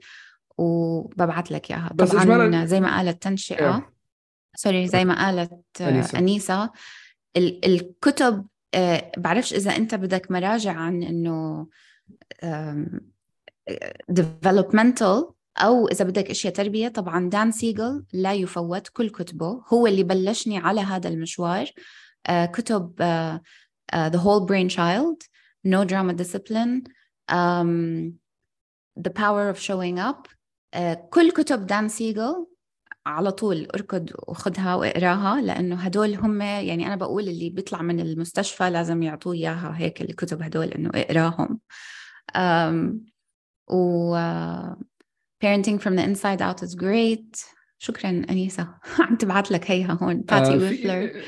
وببعت لك إياها. طبعا زي ما قالت تنشئة سوري زي ما قالت أنيسة, أنيسة ال- الكتب أه بعرفش إذا أنت بدك مراجع عن إنه developmental أو إذا بدك إشياء تربية. طبعا دان سيغل لا يفوت، كل كتبه هو اللي بلشني على هذا المشوار. uh, كتب uh, uh, The Whole Brain Child, No Drama Discipline, um, The Power of Showing Up. uh, كل كتب دان سيغل على طول اركض وخدها واقراها، لأنه هدول هم يعني أنا بقول اللي بيطلع من المستشفى لازم يعطوه إياها هيك الكتب هدول إنه اقراهم. um, و uh, Parenting from the Inside Out is great. شكرا أنيسة. عم تبعت لك هيها هون باتي ويفلر.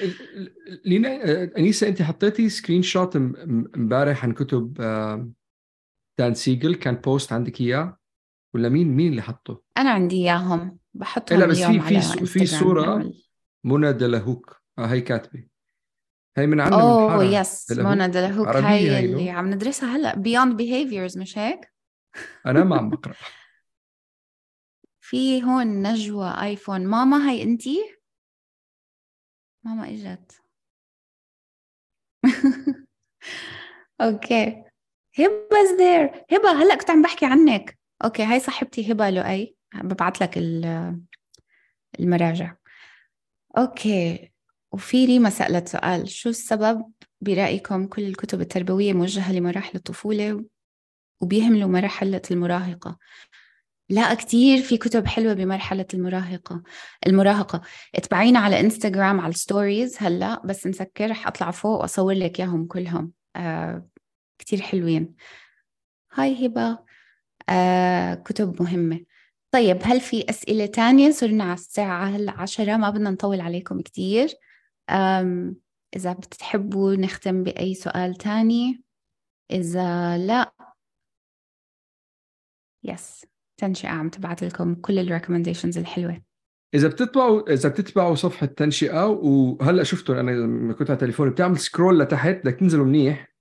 لينا أنيسة أنت حطيتي سكرين شوت مبارح عن كتب دان سيغل، كان بوست عندك إياه ولا مين مين اللي حطه؟ أنا عندي إياهم بحطهم لا بس اليوم في على في صورة منى دلهوك آه هي كاتبة، هي من عنا من أوه يس منى دلهوك، هاي اللي عم ندرسها هلأ Beyond Behaviors مش هيك؟ أنا ما عم بقرأ. في هون نجوى آيفون. ماما هاي أنتي؟ ماما إجت. أوكي هبة there. هبة هلأ كنت عم بحكي عنك. أوكي هاي صاحبتي هبة لؤي، ببعت لك المراجع. أوكي. وفي ريما سألت سؤال، شو السبب برأيكم كل الكتب التربوية موجهة لمراحل الطفولة وبيهملوا مرحلة المراهقة؟ لا كتير في كتب حلوة بمرحلة المراهقة المراهقة اتبعينا على انستغرام على الستوريز هلأ، بس نسكر رح أطلع فوق وأصور لك ياهم كلهم. آه كتير حلوين. هاي هبة. آه كتب مهمة. طيب هل في أسئلة تانية؟ صرنا على الساعة هلأ عشرة، ما بدنا نطول عليكم كتير. آم إذا بتحبوا نختم بأي سؤال تاني، إذا لا يس تنشئة عم تبعت لكم كل الريكومنديشنز الحلوة. إذا بتتبعوا إذا بتتبعوا صفحة تنشئة، وهلأ شفتوا أنا لما كنت على تليفوني بتعمل سكرول لتحت بدك تنزلوا منيح،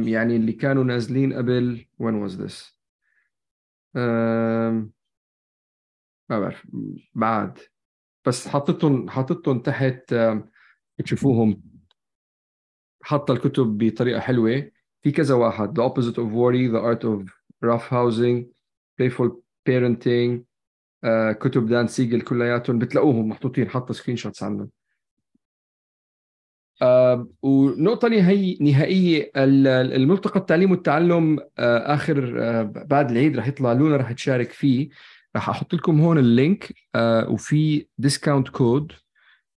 يعني اللي كانوا نازلين قبل when was this ما بعرف بعد، بس حطيتهم حطيتهم تحت تشوفوهم. حط الكتب بطريقة حلوة، في كذا واحد: The Opposite of Worry, The Art of Rough Housing, Playful Parenting. uh, كتب دان سيغل كلياتهم بتلاقوهم محطوطين، حط سكرين شوتس عنهم. آه ونقطة نهائية نهائية الملتقى التعليم والتعلم آه آخر آه بعد العيد رح يطلع لونا رح تشارك فيه. رح أحط لكم هون اللينك آه وفي ديسكاونت كود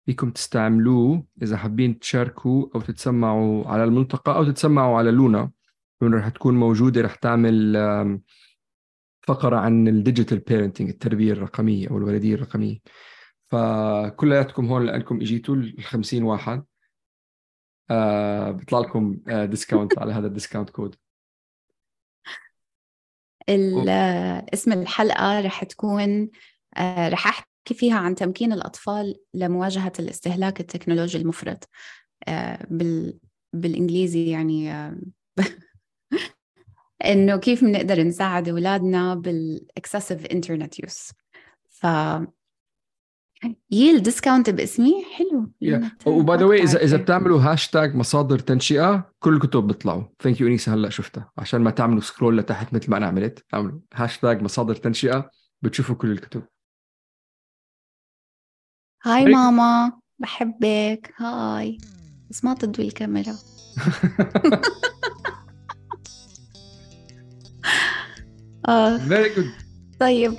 فيكم تستعملوه إذا حابين تشاركوا أو تتسمعوا على الملتقى أو تتسمعوا على لونا. لونا رح تكون موجودة، رح تعمل آه فقرة عن الديجيتال بيرنتينج، التربية الرقمية أو الولدية الرقمية. فكلياتكم هون لأنكم إجيتوا الخمسين واحد آه بيطلع لكم آه ديسكاونت على هذا الديسكاونت كود. اسم الحلقة رح تكون آه رح أحكي فيها عن تمكين الأطفال لمواجهة الاستهلاك التكنولوجي المفرط آه بال بالإنجليزي يعني آه إنه كيف بنقدر نساعد أولادنا بالإكسسيف إنترنت يوز. ف ييل ديسكاونت باسمي حلو. وباي ذا واي اذا اذا بتعملوا هاشتاج مصادر تنشئه كل الكتب بيطلعوا. ثانك يو انيس، هلا شفتها عشان ما تعملوا سكرول لتحت مثل ما انا عملت. اعملوا هاشتاج مصادر تنشئه بتشوفوا كل الكتب. هاي ماما بحبك. هاي بس ما تضوي الكاميرا. اه فيري جود. طيب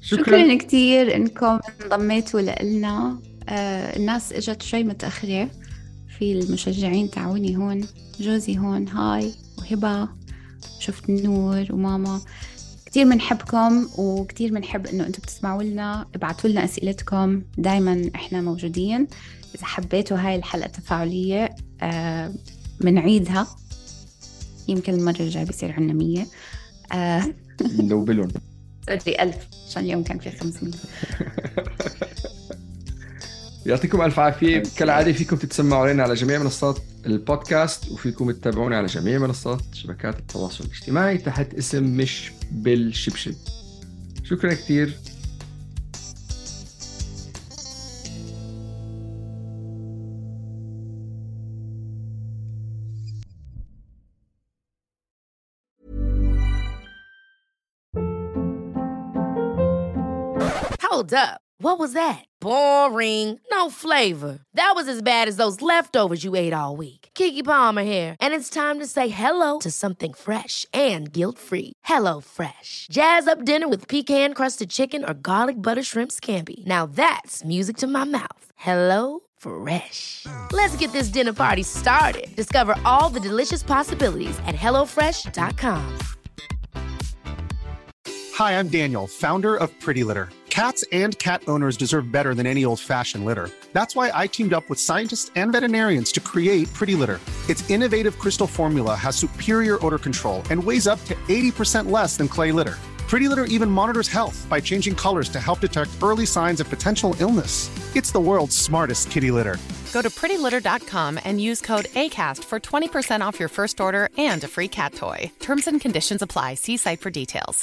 شكرا, شكرا كتير انكم انضميتوا لنا. آه الناس اجت شوي متأخرة، في المشجعين تعوني هون، جوزي هون هاي وهبة، شفت نور وماما. كتير منحبكم وكتير منحب انه انتم بتسمعوا لنا. ابعتوا لنا اسئلتكم، دايما احنا موجودين. اذا حبيتوا هاي الحلقة تفاعلية آه منعيدها، يمكن المرة الجاية بيصير عنا مية. آه لو بلون سوري ألف عشان اليوم كان في خمسمية. يعطيكم ألف عافية. كالعادة فيكم تتسمعوا علينا على جميع منصات البودكاست، وفيكم تتابعونا على جميع منصات شبكات التواصل الاجتماعي تحت اسم مش بالشبشب. شكرا كتير. Hold up. What was that? Boring. No flavor. That was as bad as those leftovers you ate all week. Keke Palmer here, and it's time to say hello to something fresh and guilt-free. Hello Fresh. Jazz up dinner with pecan-crusted chicken or garlic butter shrimp scampi. Now that's music to my mouth. Hello Fresh. Let's get this dinner party started. Discover all the delicious possibilities at hello fresh dot com. Hi, I'm Daniel, founder of Pretty Litter. Cats and cat owners deserve better than any old-fashioned litter. That's why I teamed up with scientists and veterinarians to create Pretty Litter. Its innovative crystal formula has superior odor control and weighs up to eighty percent less than clay litter. Pretty Litter even monitors health by changing colors to help detect early signs of potential illness. It's the world's smartest kitty litter. Go to pretty litter dot com and use code ACAST for twenty percent off your first order and a free cat toy. Terms and conditions apply. See site for details.